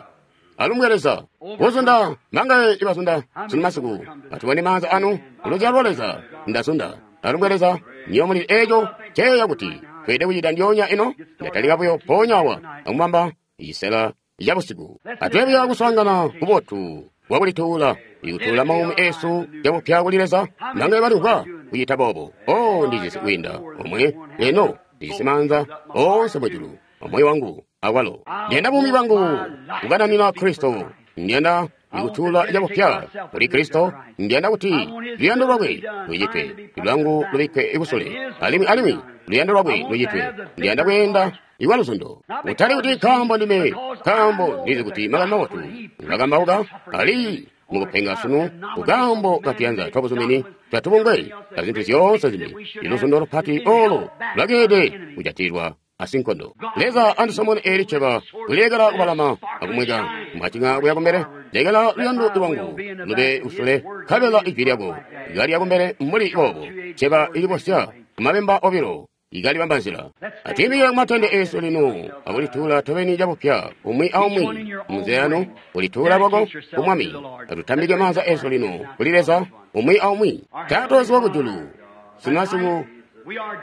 Alumbwe Leza kuzunda mangaye ibazunda sunu masiku. Atubone maanza anu kuluzyalo lwa Leza ndazunda. Alumbwe Leza niyo muli eco ceeya kuti tweede kucita ndyoonya ino. Ndatalika buyo mpoonya awa akumubamba cisela ca busiku. Atweebya kuswaangana kubotu bwakulituula ikutuula maumi esu cabupya kuli Leza. Mangaye balimvwa kucita boobo. O ndijisi kwiinda omwe eno ndijisi maanza oonse mujulu omoyo wangu awalo. Ndiyanda buumi bwangu kukananina Kristo. Ndiyanda ikutuula cabupya kuli Kristo. Ndiyanda kuti luyando lwakwe lucitwe, lwangu lubikkwe kusule, alimwi alimwi luyando lwakwe lucitwe. Ndiyanda kweenda ikwa luzundo, kutali kuti nkaambo ndime, nkaambo ndizi kuti makani mabotu ngakambauka ali mukupenga sunu kukaambo katuyanza twabuzumini twatubungwe azintu zyoonse zimbi. Iluzundo lupati olo lwakeede kujatilwa asinkondo. Leza andisomone eli ceba kulekela kubalama akumweka mwacinga kuya kumbele. Lekela luyando lwangu lube kusule, nkabela ijwi lyako likalya kumbele mbuli boobo. Ceba ilibosya kumabemba obilo ikalibamba nzila. Atwiimikile kumatende esu lino akulituula tobeni cabupya umwi aumwi munzila yanu, kulituula lwako ku Mwami. Atutambike maanza esu lino kuli Leza umwi aumwi. Taata wesu wakujulu, sunu masiku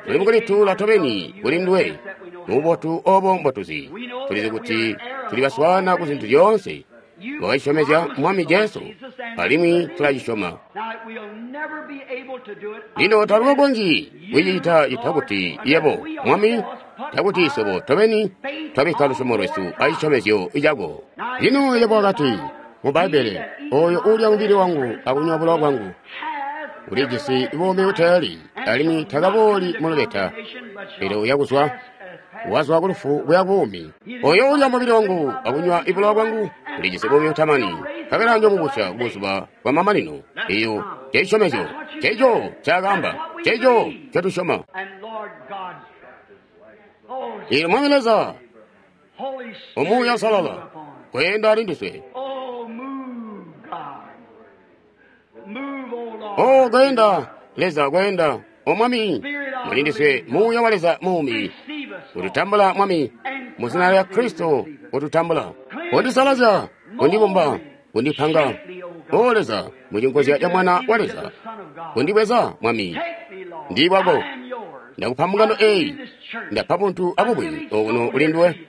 tuli mukulituula tobeni kuli nduwe mububotu obo mbotuzi. Tulizi kuti tuli baswaana ku zintu zyoonse wakacisyomezya Mwami Jesu, alimwi tulacisyoma. Lino tatukonzyi kucicita cita kuti yebo Mwami, takuti iswebo tobeni twabikka lusyomo lwesu acisyomezyo cako. Lino yebo wakati mu Bbaibbele, oyo uulya mubili wangu akunywa bulowa bwangu ulijisi buumi buteeli, alimwi takabooli mu lubeta, pele uya kuzwa wazwa ku lufu kuya buumi. Oyo uulya mubili wangu akunywa ibulowa bwangu ulijisi buumi butamani, nkabela njomubusya kubuzuba bwa mamanino. Eyo cecisyomezyo, ceco ncaakaamba, ceco ncotusyoma. Eelyo Mwami Leza, Umuuya Uusalala, kweenda ali ndiswe. O kweenda Leza, kweenda O Mwami, muli ndiswe Muuya wa Leza muumi. Ututambula Mwami, mu zina lya Kristo ututambula. Undisalazya, undibumba, undipanga. O Leza, mucinkozya ca Mwana wa Leza, undibweza Mwami. Ndi bwako. Ndakupa mbungano eyi, ndapa buntu abubwi okuno uli nduwe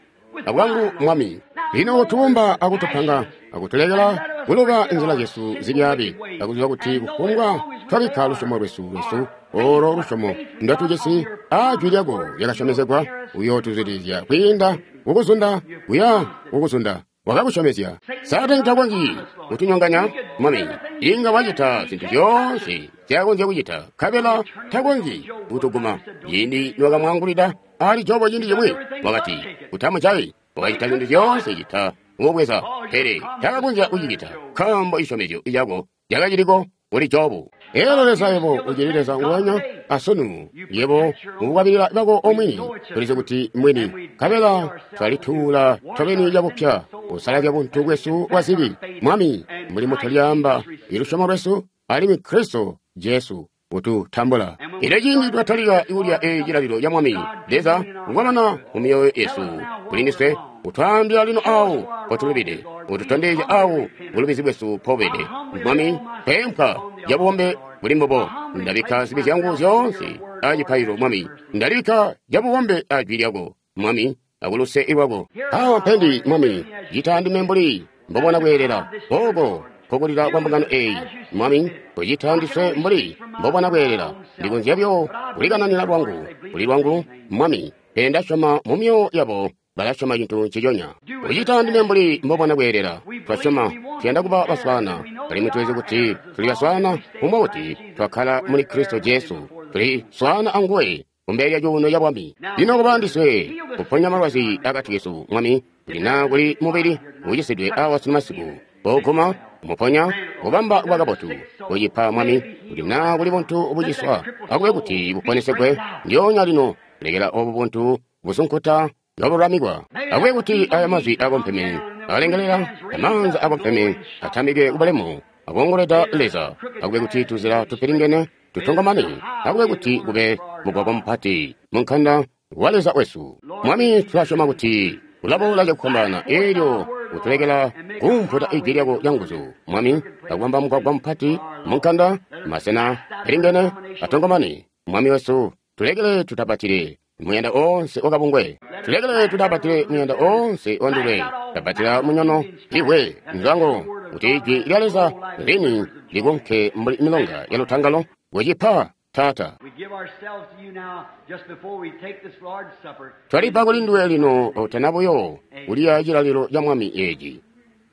abwangu Mwami. Lino utubumba akutupanga akutulekela kuluba inzila zyesu zibyaabi, akuziba kuti kufumbwa twabikka lusyomo lwesu lwesu olo lusyomo ndotujisi a jwi lyako lyakasyomezegwa, uyootuzwidilizya kwiinda kukuzunda kuya kukuzunda wakakusyomezya. Saatani takonzyi kutunyonganya Mwami. Inga wacita zintu zyoonse nzyakonzya kucita, nkabela takonzyi kutuguma. Ciindi niwakamwaangulida ali Jobo ciindi cimwi, wakati utamujayi, wakacita zintu zyoonse cita kumubweza, pele takakonzya kucicita nkaambo cisyomezyo cako cakaciliko kuli Jobu. Elo Leza yebo ucili Leza nguwenya asunu, yebo mukukwabilila bako omwini, tulizi kuti mwini, nkabela twalituula tobeni cabupya kusalazya buntu bwesu bwa zibi. Mwami, mbuli mutolyaamba ilusyomo lwesu, alimwi Kristo Jesu ututambula. Elyo ciindi twatalika kulya eyi cilalilo ca Mwami Leza ngwamana mu myoyo yesu kuli ndiswe, utwaambila lino awo potulubide, ututondezya awo bulubizi bwesu pobede. Mwami, pempwa cabubombe buli mbubo, ndabikka zibi zyangu zyoonse acipaililo Mwami, ndalibikka cabubombe ajwi lyako Mwami, akuluse lwako. Awa mpendi Mwami, cita ndime mbuli mbobona kweelela oko kokulila kwa mbungano eyi Mwami, kucita ndiswe mbuli mbobona kweelela. Ndikonzya byo kulikananina lwangu kuli lwangu Mwami, pele ndasyoma mu myoyo yabo balasyoma cintu nciconya. Kucita ndime mbuli mbobona kweelela. Twasyoma tuyanda kuba baswaana, alimwi tulizi kuti tuli baswaana kumbwa kuti twakkala muli Kristo Jesu. Tuli swaana anguwe kumbele lya cuuno ca bwami. Lino kuba ndiswe kuponya malwazi akati kesu, Mwami, kuti naa kuli mubili ucisidwe awa sunu masiku, koguma, kumuponya, kubamba kuba kabotu, kucipa, Mwami, kuti naa kuli buntu buciswa, akube kuti buponesegwe ndyoonya lino. Lekela obu buntu busunkuta kabulamikwa. Akube kuti aya mazwi akompeme alengelela, amaanza akompeme atamike kubulemu, akongoleda Leza. Akube kuti tuzila tupilingene tutongomane. Akube kuti kube mugwagwa mupati munkanda wa Leza wesu. Mwami, tulasyoma kuti ulaboola cakufwambaana eelyo utulekela kumputa ijwi lyako lyanguzu, Mwami, akubamba mugwagwa mupati munkanda, masena pilingene atongomane. Mwami wesu, tulekele tutapatile muyanda oonse wakabungwe, tulekele tutapatile muyanda oonse wandulwe, tapatila munyono iwe nzango, kuti ijwi lya Leza lini likonke mbuli milonga ya lutangalo. Kucipa, Taata. We give ourselves to you now just before we take this Lord's Supper. Twalipa kuli nduwe lino otana buyo kulya chilalilo cha Mwami eeci.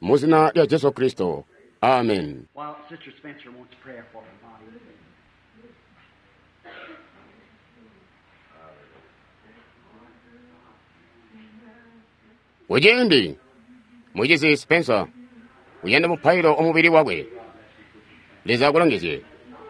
Mu zina lya Jesu Kristo. Amen. While Sister Spencer wants prayer for her body. Kuciindi mucizi Spencer uyanda mupailo omubili wakwe. Leza akulongezye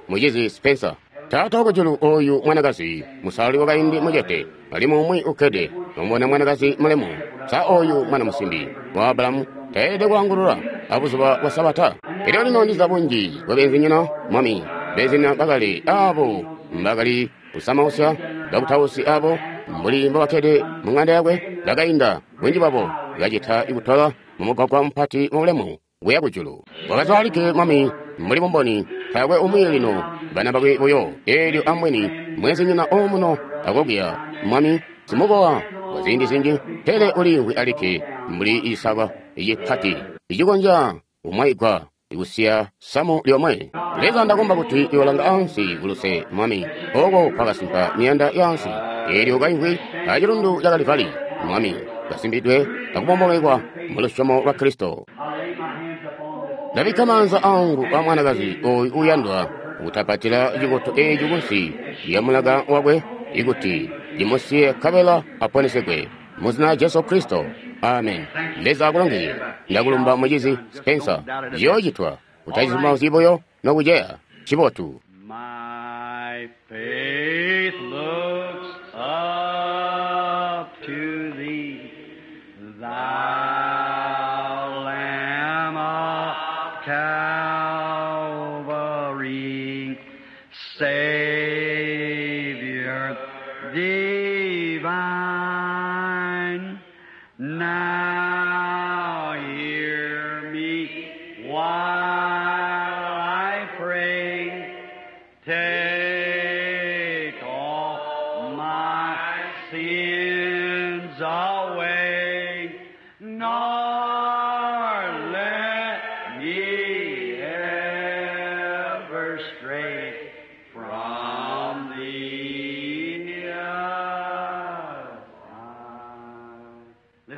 mucizi Spencer. Taata wakujulu, oyu mwanakazi musalali wakaindi mucete alimwi umwi ukkede nomubona mwanakazi mulemu. Sa oyu mwana musimbi wa Abulamu taelede kwaangulula abuzuba bwa Sabata? Elyo lino ndiza bunji bwa beenzinyina, Mwami, beenzinyina bakali abo mbakali kusamausya bakutausi abo mbuli mbobakkede mu ng'anda yakwe bakainda bunji bwabo kacita ikutola mumugwagwa mupati mubulemu kuya kujulu. Wakazwaalike, Mwami, mbuli bumboni, taakwe umwi lino bana bakwe buyo. Eelyo ambweni mwenzinyina omuno akokuya, Mwami, simukowa kwa ziindi zinji, pele uliimvwi alikke mbuli isaka icipati icikonzya kumwaigwa ikusiya samu lyomwe. Leza, ndakomba kuti iwalanga ansi kuluse, Mwami, oko kwakasimpa miyanda yaansi. Eelyo kaimvwi acilundu ca Kalivali, Mwami, kasimbidwe akubombomekwa mu lusyomo lwa Kristo. Ndabikka maanza angu a mwanakazi oyu uyandwa kutapatila cikoto eeci kunsi lya mulaka wakwe, ikuti cimusiye nkabela aponesegwe. Mu zina lya Jesu Kristo. Amen. Leza akulongezye. Ndakulumba mucizi Spencer. Ciyoocitwa utacizumbauzyi buyo nokuceya. Cibotu. My faith looks up to thee, thou Lamb of Calvary, Savior divine. Now hear me while I pray. Take all my sins away, nor let me ever stray from thee.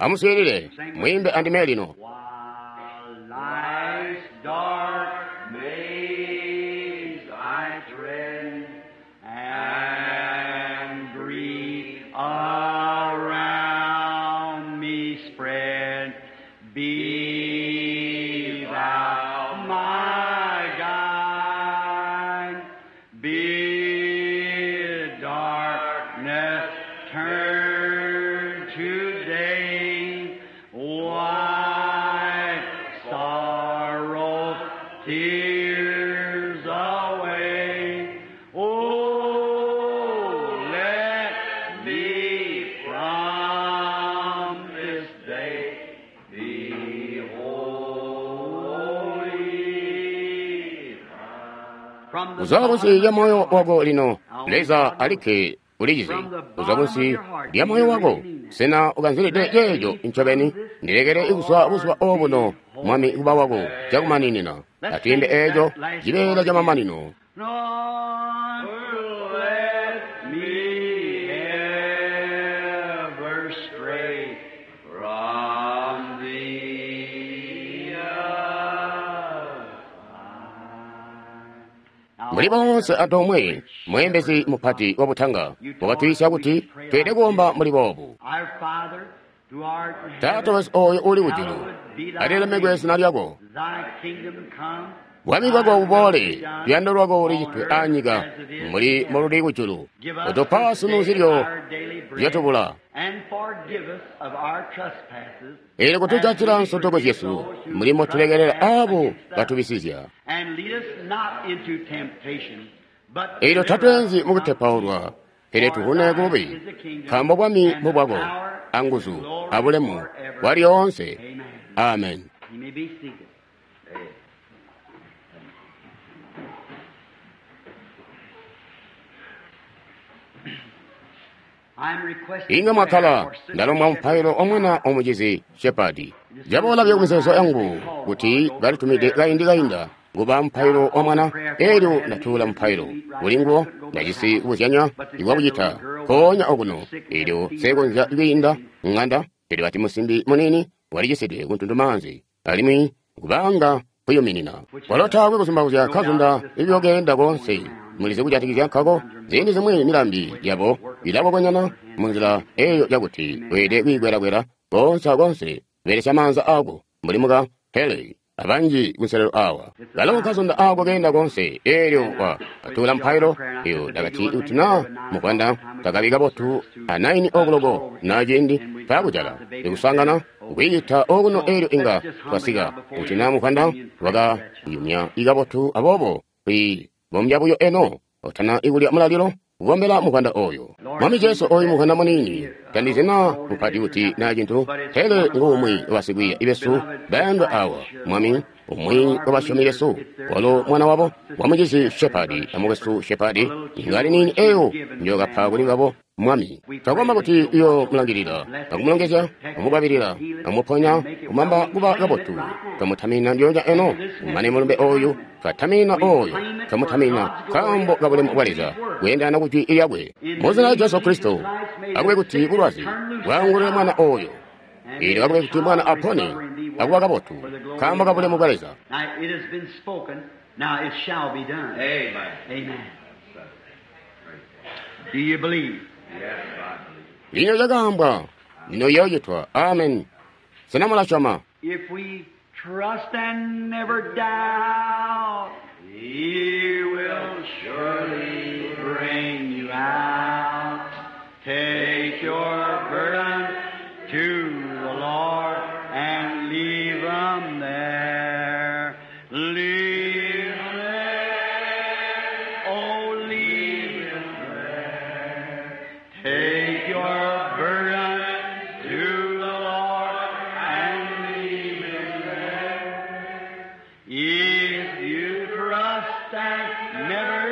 Amuswiilile mwimbe andime lino. While life's dark maze I tread, and grief around me spread, be thou my guide. Bid darkness turn to day, wipe sorrow, tears away. Oh, let me from this day be holy. From the Kuzwa kunsi lya moyo wako lino, Leza alikke ulichizi. Kuzwa kunsi lya moyo wako, sena ukanzilide ceeco ncobeni. Ndilekele ikuzwa buzuba obuno, Mwami, kuba wako cakumaninina. Atwiimbe eeco cibeela camamanino. Nor let me ever stray from thee. Mbuli boonse antoomwe, mweembezi mupati wa butanga wakatwiisya kuti tweelede kuomba mbuli boobu. Taata wesu ooyo uli kujulu, alilemekwe zina lyako. Bwami bwako buboole, luyando lwako lucitwe aanyika mbuli moluli kujulu. Utupa sunu zilyo zyotubula. Eelyo kutujatila nsotoko zyesu mbuli motulekelela aabo batubisizya. Eelyo tatweenzi mukutepaulwa, pele tuvune kububi, nkaambo bwami mbubwako, anguzu, abulemu, bwalyoonse. Amen. Inga mwakhala ndalomba mupailo omwana omucizi Shepadi. Caboola buyo kumizeezo yangu kuti balitumide kaindi kainda kuba mupailo wa mwana, eelyo ndatuula mupailo kuli nguwo. Ndajisi kubuzyanya ikwakucita nkoonya okuno, eelyo seekonzya kwiinda ŋanda, pele bati musimbi muniini walicisidwe kuntundumaanzi alimwi kubanga kuyuminina. Kwalo taakwe kuzumbauzya kazunda ibyokeenda koonse. Mulizi kujatikizya nkako, ziindi zimwi milambi yabo ilakokonyana munzila eyo yakuti weelede kwiikwelakwela koonse akoonse kubelesya maanza aako mbuli muka Haley abanji kunselelo awa. Kalo kazunda aako keenda koonse, eelyo wa katuula mpailo eyo ndakati kuti naa muvwanda takabi kabotu a naini okuloko na ciindi paakujala ikusangana kwiita okuno, eelyo inga twasika kuti naa muvwanda wakayumya ikabotu, aboobo kwi bombya buyo eno otana ikulya mulalilo kukombela muvwanda oyo. Mwami Jesu, oyu muvwanda muniini tandizi naa mupati kuti naa cintu, pele nguumwi wabasikwiiya besu bayandwa awa, Mwami, umwi wabasyomi besu, walo mwana wabo wamucizi Shepadi amukwesu Shepadi, ingali niini eyo njokapa kuli babo. Mwami, twakomba kuti iyo mulangilila akumulongezya, amukwabilila, amuponya, kumamba kuba kabotu. Twamutamina ndyoonya eno kumane mulumbe oyu, twatamina oyo, twamutamina nkaambo kabulemu bwa Leza kweendana ku jwi lyakwe. Mu zina lya Jesu Kristo, akube kuti bulwazi bwaangulule mwana oyo, eelyo akube kuti mwana apone akuba kabotu nkaambo kabulemu bwa Leza. Do you believe? Lino lyakaambwa, lino yoocitwa. Amen. Sena mulasyoma? If we trust and never doubt, He will surely bring you out. Take your burden to the Lord and leave 'em there. Leave 'em there. Oh, leave 'em there. Take your burden to the Lord and leave him there. If you trust and never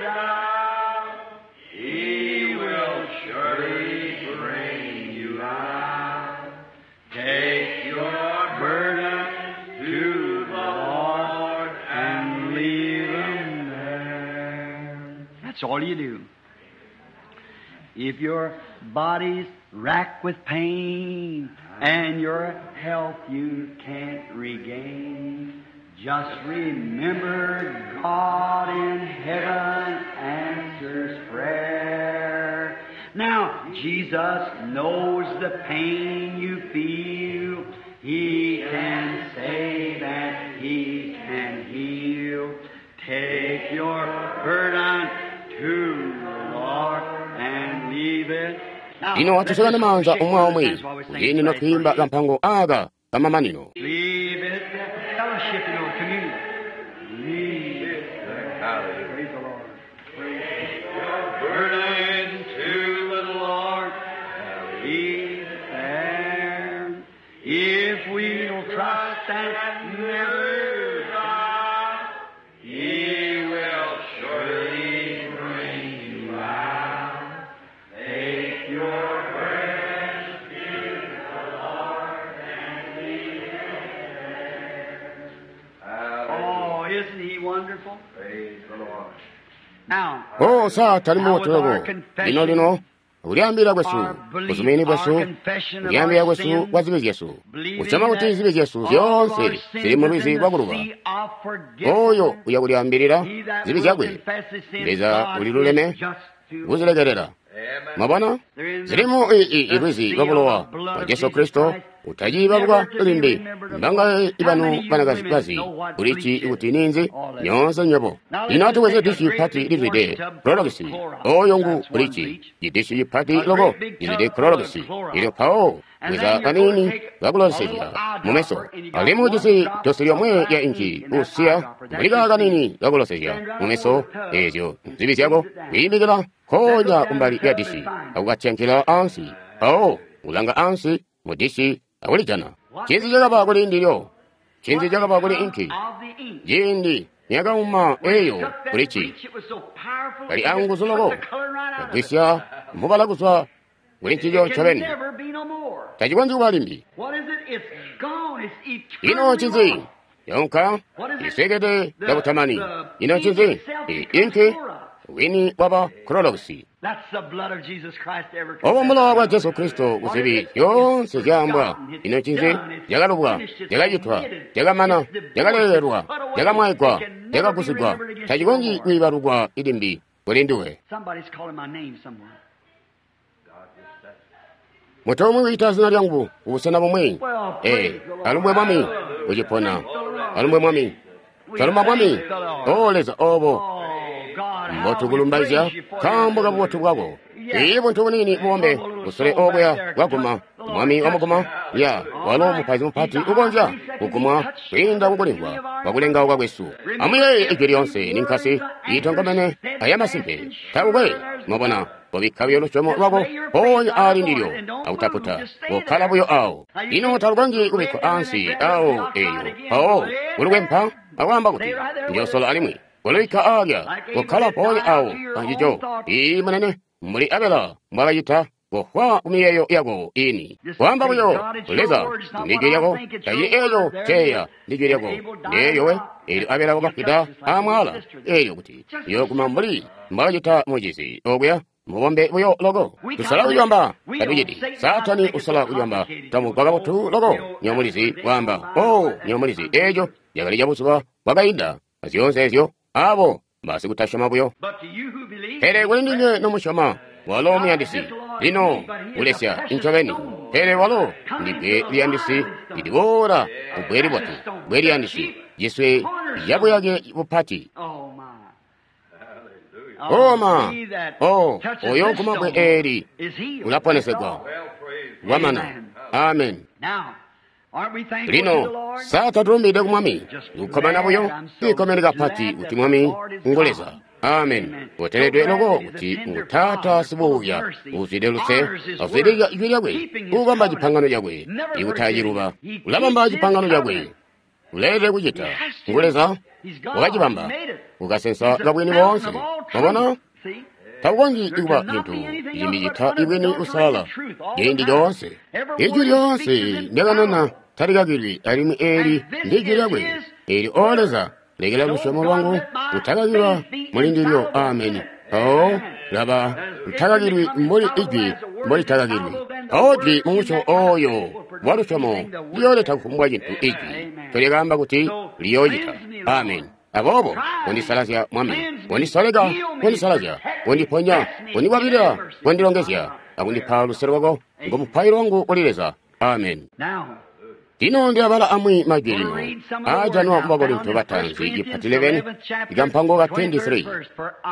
doubt, He will surely bring you out. Take your burden to the Lord and leave him there. That's all you do. If your body's racked with pain and your health you can't regain, just remember God in heaven answers prayer. Now, Jesus knows the pain you feel. He can save and He can heal. Take your burden to the Lord and leave it. Now, Lino let's atusakane just maanza shake omwe omwe hands while we sing kuti this lino last twiimba verse. kampango aka kamamanino. Leave it, fellowship in our communion. Leave it. Praise the Lord. Praise your burden to the Lord. Leave it there. If we'll trust and never doubt, He will surely bring you out. Take your burden to the Lord and leave it there. Oh, isn't He wonderful? Praise the Lord. Now, Oh, sa tali now with our muwotoloko. Lino confession lino Kulyaambilila kwesu, buzumini bwesu, kulyaambilila kwesu kwa zibi zyesu, kusyoma kuti zibi zyesu zyoonse zili mu lwizi lwa kuluba. Oyo uya kulyaambilila zibi zyakwe, Leza uliluleme kuzilekelela. Mwabona? Zilimu i lwizi lwa bulowa bwa Jesu Kristo utaciibaluka limbi. Mbangaye ibanu banakazi bazi kulici kuti ninzi nyoonse nywebo. Lino atubweze dishi pati lizwide Clorox. Oyo ngu kulici idishi pati loko lizwide Clorox. Ilyo mpawo bweza kanini kakulosezya mumeso. Alimwi ujisi dosi lyomwe lya inci usiya mbulika kanini kakulosezya mumeso ezyo nzibi zyako kwiimikila konya kumbali lya dishi akukatyankila ansi. Mpawo ulanga ansi mu dishi akulijana. Ncinzi cakaba kuli ndilyo? Ncinzi cakaba kuli inki? Ciindi niyakauma eyo kulici kali anguzu loko kagwisya mubala kuzwa kuli ncico ncobeni. Tacikonzyi kuba limbi. Ino ncinzi? Yonka iswekede cakutamani. Ino ncinzi? Inki wini waba Clorox. Obo mbulowa bwa Jesu Kristo kuzibi zyoonse zyaambwa. Ino ncinzi? Zyakalubwa, zyakacitwa, zyakamana, zyakalelelwa, zyakamwaigwa, zyakagusigwa. Tacikonzyi kwiibalukwa limbi kuli nduwe. Mutu umwi wiita zina lyangu kubusena bumwi. Ee, alumbwe Mwami ucipona. Alumbwe Mwami. Twalumba Mwami. O Leza obo mbotukulumbaizya nkaambo kabubotu bwako. Ii buntu buniini bubombe busole obuya bwaguma Mwami wamuguma ya walo mupaizi mupati ukonzya kugumwa kwiinda kukulimvwa kwakulengauka kwesu. Amuyeeye ijwi lyoonse ninkasi iitonkomene ayamasimpe. Takukwe mwabona kobikka buyo lusyomo lwako mpoonya aali ndilyo akutaputa kokkala buyo awo. Ino talukonzyi kubikkwa ansi awo eyo mpawo kulukwempa akwaamba kuti njoosola alimwi kulubikka aalya kokkala mpoonya awo ancico. Ii munene mbuli Abela mbwakacita kofwa kumiyeeyo yako ini. Kwaamba buyo Leza ndijwi lyako tacili eeco ceeya ndijwi lyako ndeeyo we. Eelyo Abela wakafwida aamwaala eelyo kuti yooguma mbuli mbwakacita mucizi okuya mubombe buyo loko. Tusala kulyamba tatuciti. Saatani usala kulyamba tamugwa kabotu loko nyomulizi kwaamba o nyomulizi eeco lyakali cabuzuba bwakainda azyoonse ezyo abo basikutasyoma buyo. Pele kuli ndinywe nomusyoma walo muyandisi lino ulesya incobeni. Pele walo ndibbwe liyandisi liliboola kubbwe libotu, bbwe liyandisi ciswe cabuyake bupati. Oma o oyo guma bbwe eeli ulaponesegwa wamana. Amen. Lino sa tatulumbide ku Mwami? Kukkomana buyo kwiikomene kapati kuti Mwami ngu Leza. Amen. Uteledwe loko kuti ngu Taata sibuuya uzwide luse, azwidilila ijwi lyakwe, ubamba cipangano cakwe, ikutaciluba. Ulabamba cipangano cakwe. Uleelede kucita. Ngu Leza wakacibamba ukasensa kabwini boonse. Mwabona? Takukonzyi kuba cintu cimbi cita ibwini busalala ciindi coonse. Ijwi lyoonse ndyakanena talikakilwi alimwi eeli ndijwi lyakwe. Eelyo o Leza lekela lusyomo lwangu lutakakilwa muli ndilyo. Ameni. Mpawo laba lutakakilwi mbuli ijwi mbolitakakilwi. Mpawo jwi mumusyobo oyo wa lusyomo liyooleta kufumbwa cintu ijwi ncolyakaamba kuti liyoocita. Ameni. Aboobo kondisalazya Mwami, kondisoleka, kondisalazya, kondiponya, kondikwabilila, kondilongezya, akundipa luse lwako ngo mupailo wangu kuli Leza. Amen. Lino ndilabala amwi majwi lino aajanwa mu Bakorinto bataanzi cipati eleveni ikampango ka twenty-three.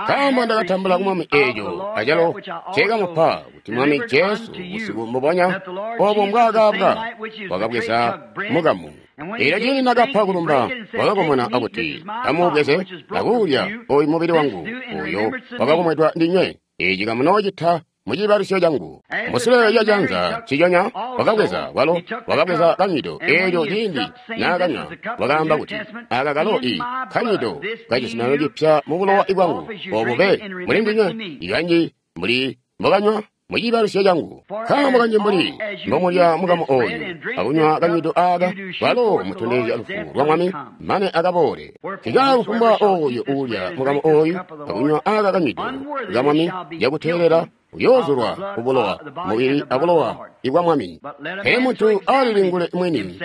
Nkaambo ndakatambula ku Mwami eeco acalo nceekamupa kuti Mwami Jesu busiku mbubonya obo mbwaakaabwa wakabweza mukamu. Eelyo ciindi nakapa kulumba wakakomona akuti, amuubweze akuulya oyu mubili wangu oyo wakakomwedwa ndinywe. Eeci kamunoocita muciibalusyo cangu. Musule lya janza nciconya wakabweza walo wakabweza kanywido. Eelyo ciindi naakanywa wakaamba kuti, aka kalo i kanywido kacizuminano cipya mubulowa bwangu, obo be muli ndinywe ikanji mbuli mbokanywa Muciibalusyo cangu. Nkaambo kanji mbuli mbomulya mukamu ooyu akunywa kanywido aaka, kwalo mutondezya lufu lwa Mwami mane akaboole. Nkaako kufumbwa ooyo uulya mukamu ooyu akunywa aaka kanywido ka Mwami cakuteelela uyoozulwa kubulowa, mubili abulowa ibwa Mwami. Pele muntu alilingule mwini,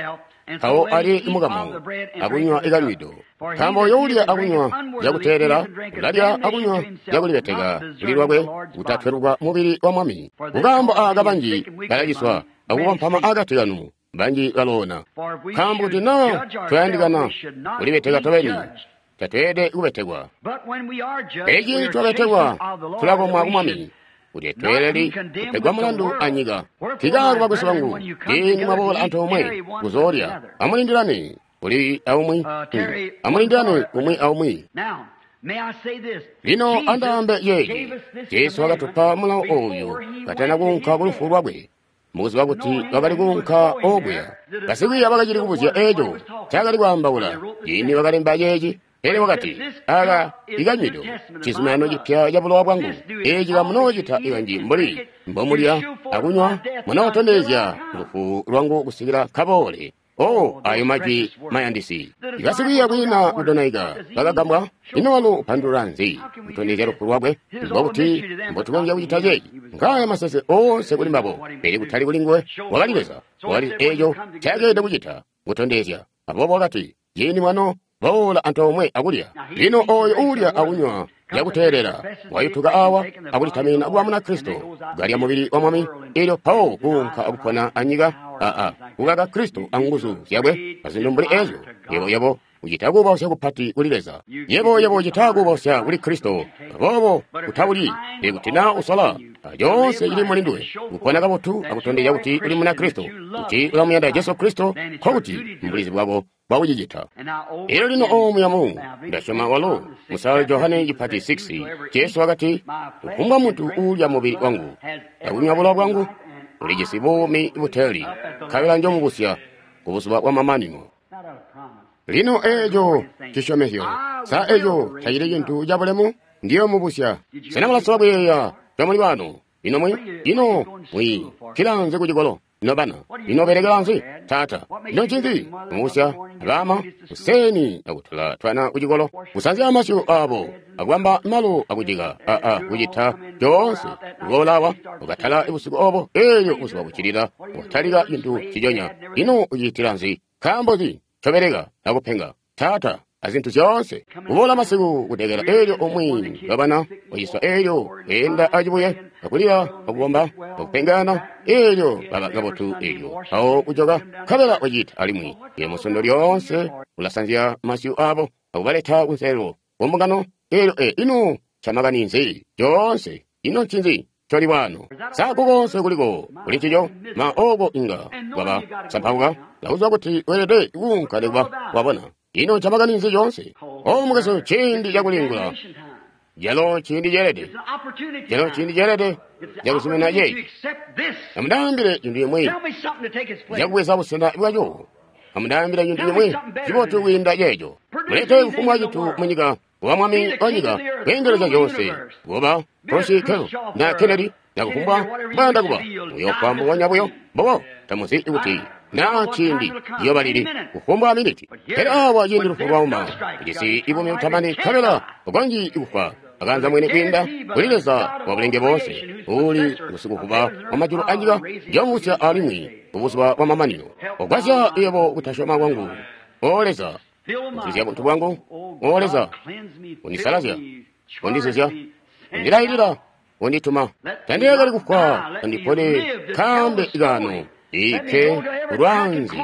mpawo alye mukamu akunywa ikanywido. Nkaambo uyoolya akunywa cakuteelela, ulalya akunywa cakulibeteka kuli lwakwe kutatweluka mubili wa Mwami. Kukaambo aaka banji balaciswa akukompama akati kanu, banji baloona. Nkaambo kuti naa twayandikana kulibeteka tobeni, tatweelede kubetekwa. Pele ciindi twabetekwa, tulakomwa ku Mwami, kuti tweeleli kupegwa mulandu anyika. Nkaako bakwesu bangu, ciindi mwaboola antoomwe kuzoolya, amulindilane kuli aumwi, amulindilane umwi aumwi. Lino andaambe yeeyi, Jesu wakatupa mulawo ooyu katana kuunka kulufu lwakwe, mukuziba kuti wakali kuunka okuya. Basikwiiya bakacili kubuzya eeco ncaakali kwaambaula ciindi wakalemba ceeci. Pele wakati, aaka ikanywido cizuminano cipya cabulowa bwangu. Eeci kamunoocita kanji mbuli mbomulya akunywa, munootondezya lufu lwangu kusikila kaboole. Oh, ayo majwi mayandisi. Basikwiiya kwiina kudonaika bakagambwa, ino walo upandulula nzi kutondezya lufu lwakwe? Mbokuti mbotukonzya kucita ceeci? Ngaaya masese oonse kuli mbabo, pele kutali kuli nguwe. Wakali Leza, wakali eeco ncakeelede kucita kutondezya. Aboobo wakati, ciindi mwano boola antoomwe akulya. Lino ooyo uulya akunywa cakuteelela wayutuka awa akulitamina kuba Munakristo, kalya mubili wa Mwami, eelyo mpawo kuunka akupona anyika aa kukaka Kristo anguzu zyakwe azintu mbuli eezyo. Yebo yebo ucita kubausya kupati kuli Leza, yebo yebo ucita kubausya kuli Kristo. Aboobo utaulyi, ikuti naa usala coonse cili muli nduwe kupona kabotu akutondezya kuti uli Munakristo, kuti ulamuyanda Jesu Kristo, nkokuti mbulizi bwako bwakucicita. Elyo lino oomu yamu ndasyoma walo musala Johane cipati six, Jesu wakati, kufumbwa muntu uulya mubili wangu akunywa bulowa bwangu ulijisi buumi buteeli, nkabela njomubusya kubuzuba bwa mamanino. Lino eeco cisyomezyo, sa eeco tacili cintu cabulemu? Ndiyo mubusya. Sena mulasola kuyeeya comuli bano? Ino mwi ino mwi kilanze kucikolo nobana, ino belekela nzi taata? Ino ncinzi mubusya abama kuseni akutula twana kucikolo, kusanzya amasyu abo akubamba malo akucika aa kucita coonse kuboolawa ukatala busiku obo, eeyo buzuba bucilila ukatalika cintu ciconya. Ino ucitila nzi? Nkaambo nzi ncobeleka akupenga taata azintu zyoonse? Kuboola masiku kudekela eelyo umwi wabana waciswa, eelyo weenda acibuye akulira akukomba akupengana, eelyo baba kabotu, eelyo mpawo kujoka nkabela wacita alimwi. Iyo musondo lyoonse ulasanzya masyu abo akubaleta kunselelo kumbungano. Eelyo e ino ncamakani nzi coonse? Ino ncinzi coli wano? Sa konse kuliko kuli ncico? Ma oko inga kwaba sampauka lakuzwa kuti weelede kuunka nikuba wabona. Ino ncamakani nzi coonse? O mukwesu, ciindi cakulingula calo ciindi ceelede, calo ciindi ceelede cakuzumina ceeci. Amundaambile cintu cimwi cakubweza busena bwaco. Amundaambile cintu cimwi cibotu kwiinda ceeco. Mulete kufumbwa cintu munyika kuba mwami wanyika kweendelezya zyoonse, kuba Khrushchev na Kennedy na kufumbwa mbwayanda kuba, muyofwa mbubonya buyo. Mbobo tamuzi kuti naa ciindi ciyoba lili, kufumbwa miniti. Pele awa ciindi lufu lwauma, ujisi buumi butamani, nkabela ukonzyi kufwa akanza mwini kwiinda kuli Leza wa bulenge boonse, uuli musikuvuba wa majulu anyika, njomubusya alimwi kubuzuba bwa mamanino. Ogwasya yebo kutasyoma kwangu, O Leza, kuzuzya buntu bwangu, O Leza, undisalazya, undizuzya, undilailila, undituma. Tandilekeli kufwa, andipone kambe kano ike lwanzi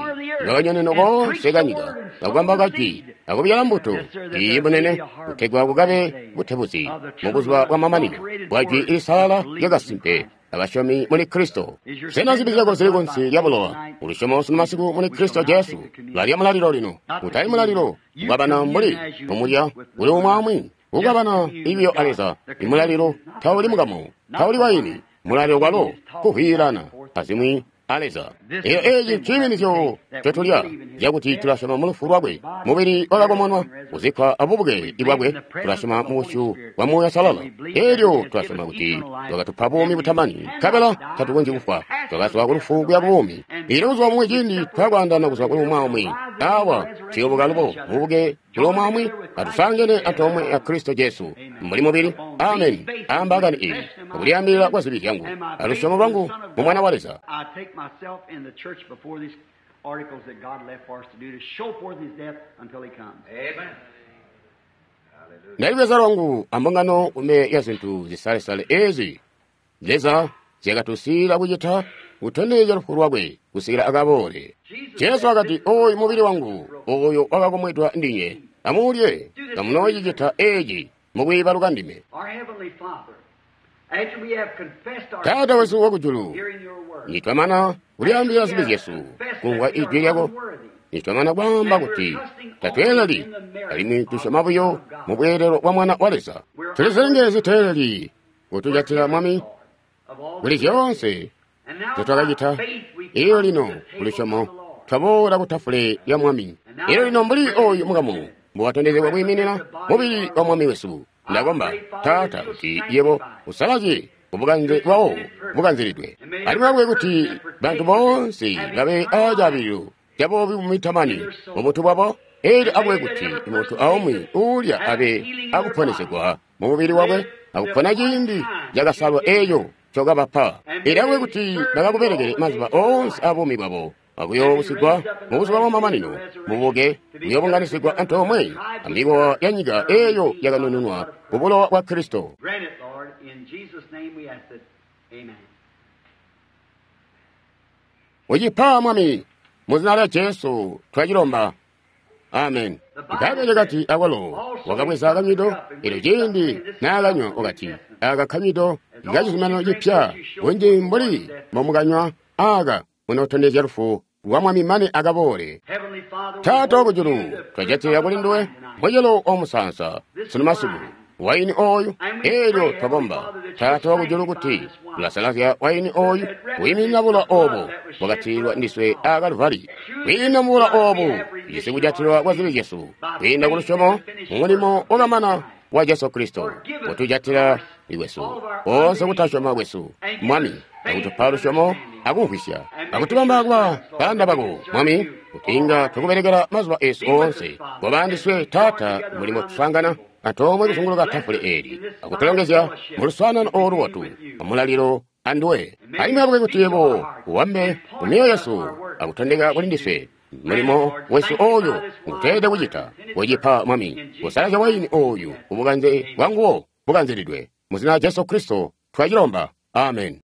lwakanyoneno konse kanyika, akubamba kajwi akubyala mbuto iyi bunene, kutegwa kukabe butebuzi mubuzuba bwa mamanino bwa jwi lisalala lyakasimpe abasyomi muli Kristo. Sena zibi zyako zili kunsi lya bulowa? Ulusyomo sunu masiku muli Kristo Jesu. Lalya mulalilo lino, kutali mulalilo kukabana mbuli omulya uli umwi kukabana ibiyo a Leza. Imulalilo tauli mukamu, tauli waini. Mulalilo kwalo kuhwiilana azimwi a Leza. Elyo eci nciiminizyo ncotulya cakuti tulasyoma mu lufu lwakwe, mubili wakakomonwa, kuzikkwa abubuke bwakwe, tulasyoma mu busyu bwa Muuya Uusalala. Elyo tulasyoma kuti wakatupa buumi butamani, nkabela tatukonzyi kufwa, twakazwa ku lufu kuya ku buumi. Elyo buzuba bumwi ciindi twakwaandana kuzwa kuli umwi aumwi, awa tuyoobuka lubo mububuke kuli umwi aumwi, atusangene antoomwe a Kristo Jesu mbuli mubili. Amen. Ambaakani iyi akulyaambilila kwa zibi zyangu alusyomo lwangu mu Mwana wa Leza. I take myself in the church before these articles that God left for us to do to show forth His death until He comes. Amen. Ndalibweza lwangu ambungano kume ya zintu zisalesale ezi Leza zyakatusiila kucita kutondezya lufu lwakwe kusikila akaboole. Jesu akati, oyu mubili wangu oyo wakakomwedwa ndinye, amulye kamunoocicita eci mukwiibaluka ndime. Our Heavenly Father, after we have confessed our Taata wesu wakujulu, hearing your word, nitwamana kulyaambilila zibi zyesu kumvwa ijwi lyako, nitwamana kwaamba kuti tatweeleli alimwi tusyoma buyo mu bweelelo bwa Mwana wa Leza. Tulizilenge ziteeleli kutujatila Mwami of all kuli zyoonse and now zetwakacita. by faith we Iyo come lino to the table kulusyomo of the Lord. twaboola ku tafule ya Mwami. Iyo lino mbuli oyu mukamu mbuwatondezebwa kwiiminina mubili wa Mwami wesu. Ndakomba Taata kuti yebo usalazye kubukanze bwawo bukanzilidwe, alimwi akube kuti bantu boonse babe acaabililo cabuumi bumitamani mu buntu bwabo. Elyo akube kuti muntu aumwi uulya abe akuponesegwa mu mubili wakwe akupona ciindi cakasalwa eco cokabapa. Elyo akube kuti bakakubelekele mazuba oonse abuumi bwabo akuyoobusigwa mu buzuba bwamamanino mubuke kuyoobunganisigwa antoomwe amikowa ya nyika eyo yakanununwa ku bulowa bwa Kristo. Grant it, Lord, in Jesus' name we ask it. Amen. Ucipa Mwami, mu zina lya Jesu twacilomba. Amen. Bbaibbele lyakati akwalo wakabweza kanywido, elyo ciindi naakanywa wakati, aka kanywido kacizuminano cipya, bunji mbuli mbomukanywa aka munootondezya lufu lwa Mwami mane akaboole. Heavenly Father, we Taata hold wakujulu, you the twajatila kuli nduwe mucelo omusansa sunu masiku waini oyu. Elyo twakomba Taata wakujulu kuti ulasalazya waini oyu kwiiminina bulowa obo bwakatilwa ndiswe a Kaluvali. Kwiinda mu bulowa obu tujisi kujatilwa kwa zibi zyesu kwiinda ku lusyomo mu mulimo wakamana wa Jesu Kristo kutujatila kwesu konse kutasyoma kwesu Mwami, akutupa lusyomo akumvwisya akutubamba kuba balanda bako Mwami, kuti inga twakubelekela mazuba esu oonse. Koba andiswe Taata mulimo tuswaangana antoomwe kuzunguluka tafule eli akutulongezya mu luswaanano olu lwotu amulalilo anduwe. Alimwi akube kuti yebo uwambe mu myoyo yesu akutondeka kuli ndiswe mulimo wesu oyu nguteelede kucita. Kucipa Mwami, kusalazya waini oyu kubukanze bwanguwo bukanzilidwe. Mu zina lya Jesu Kristo twacilomba. Amen.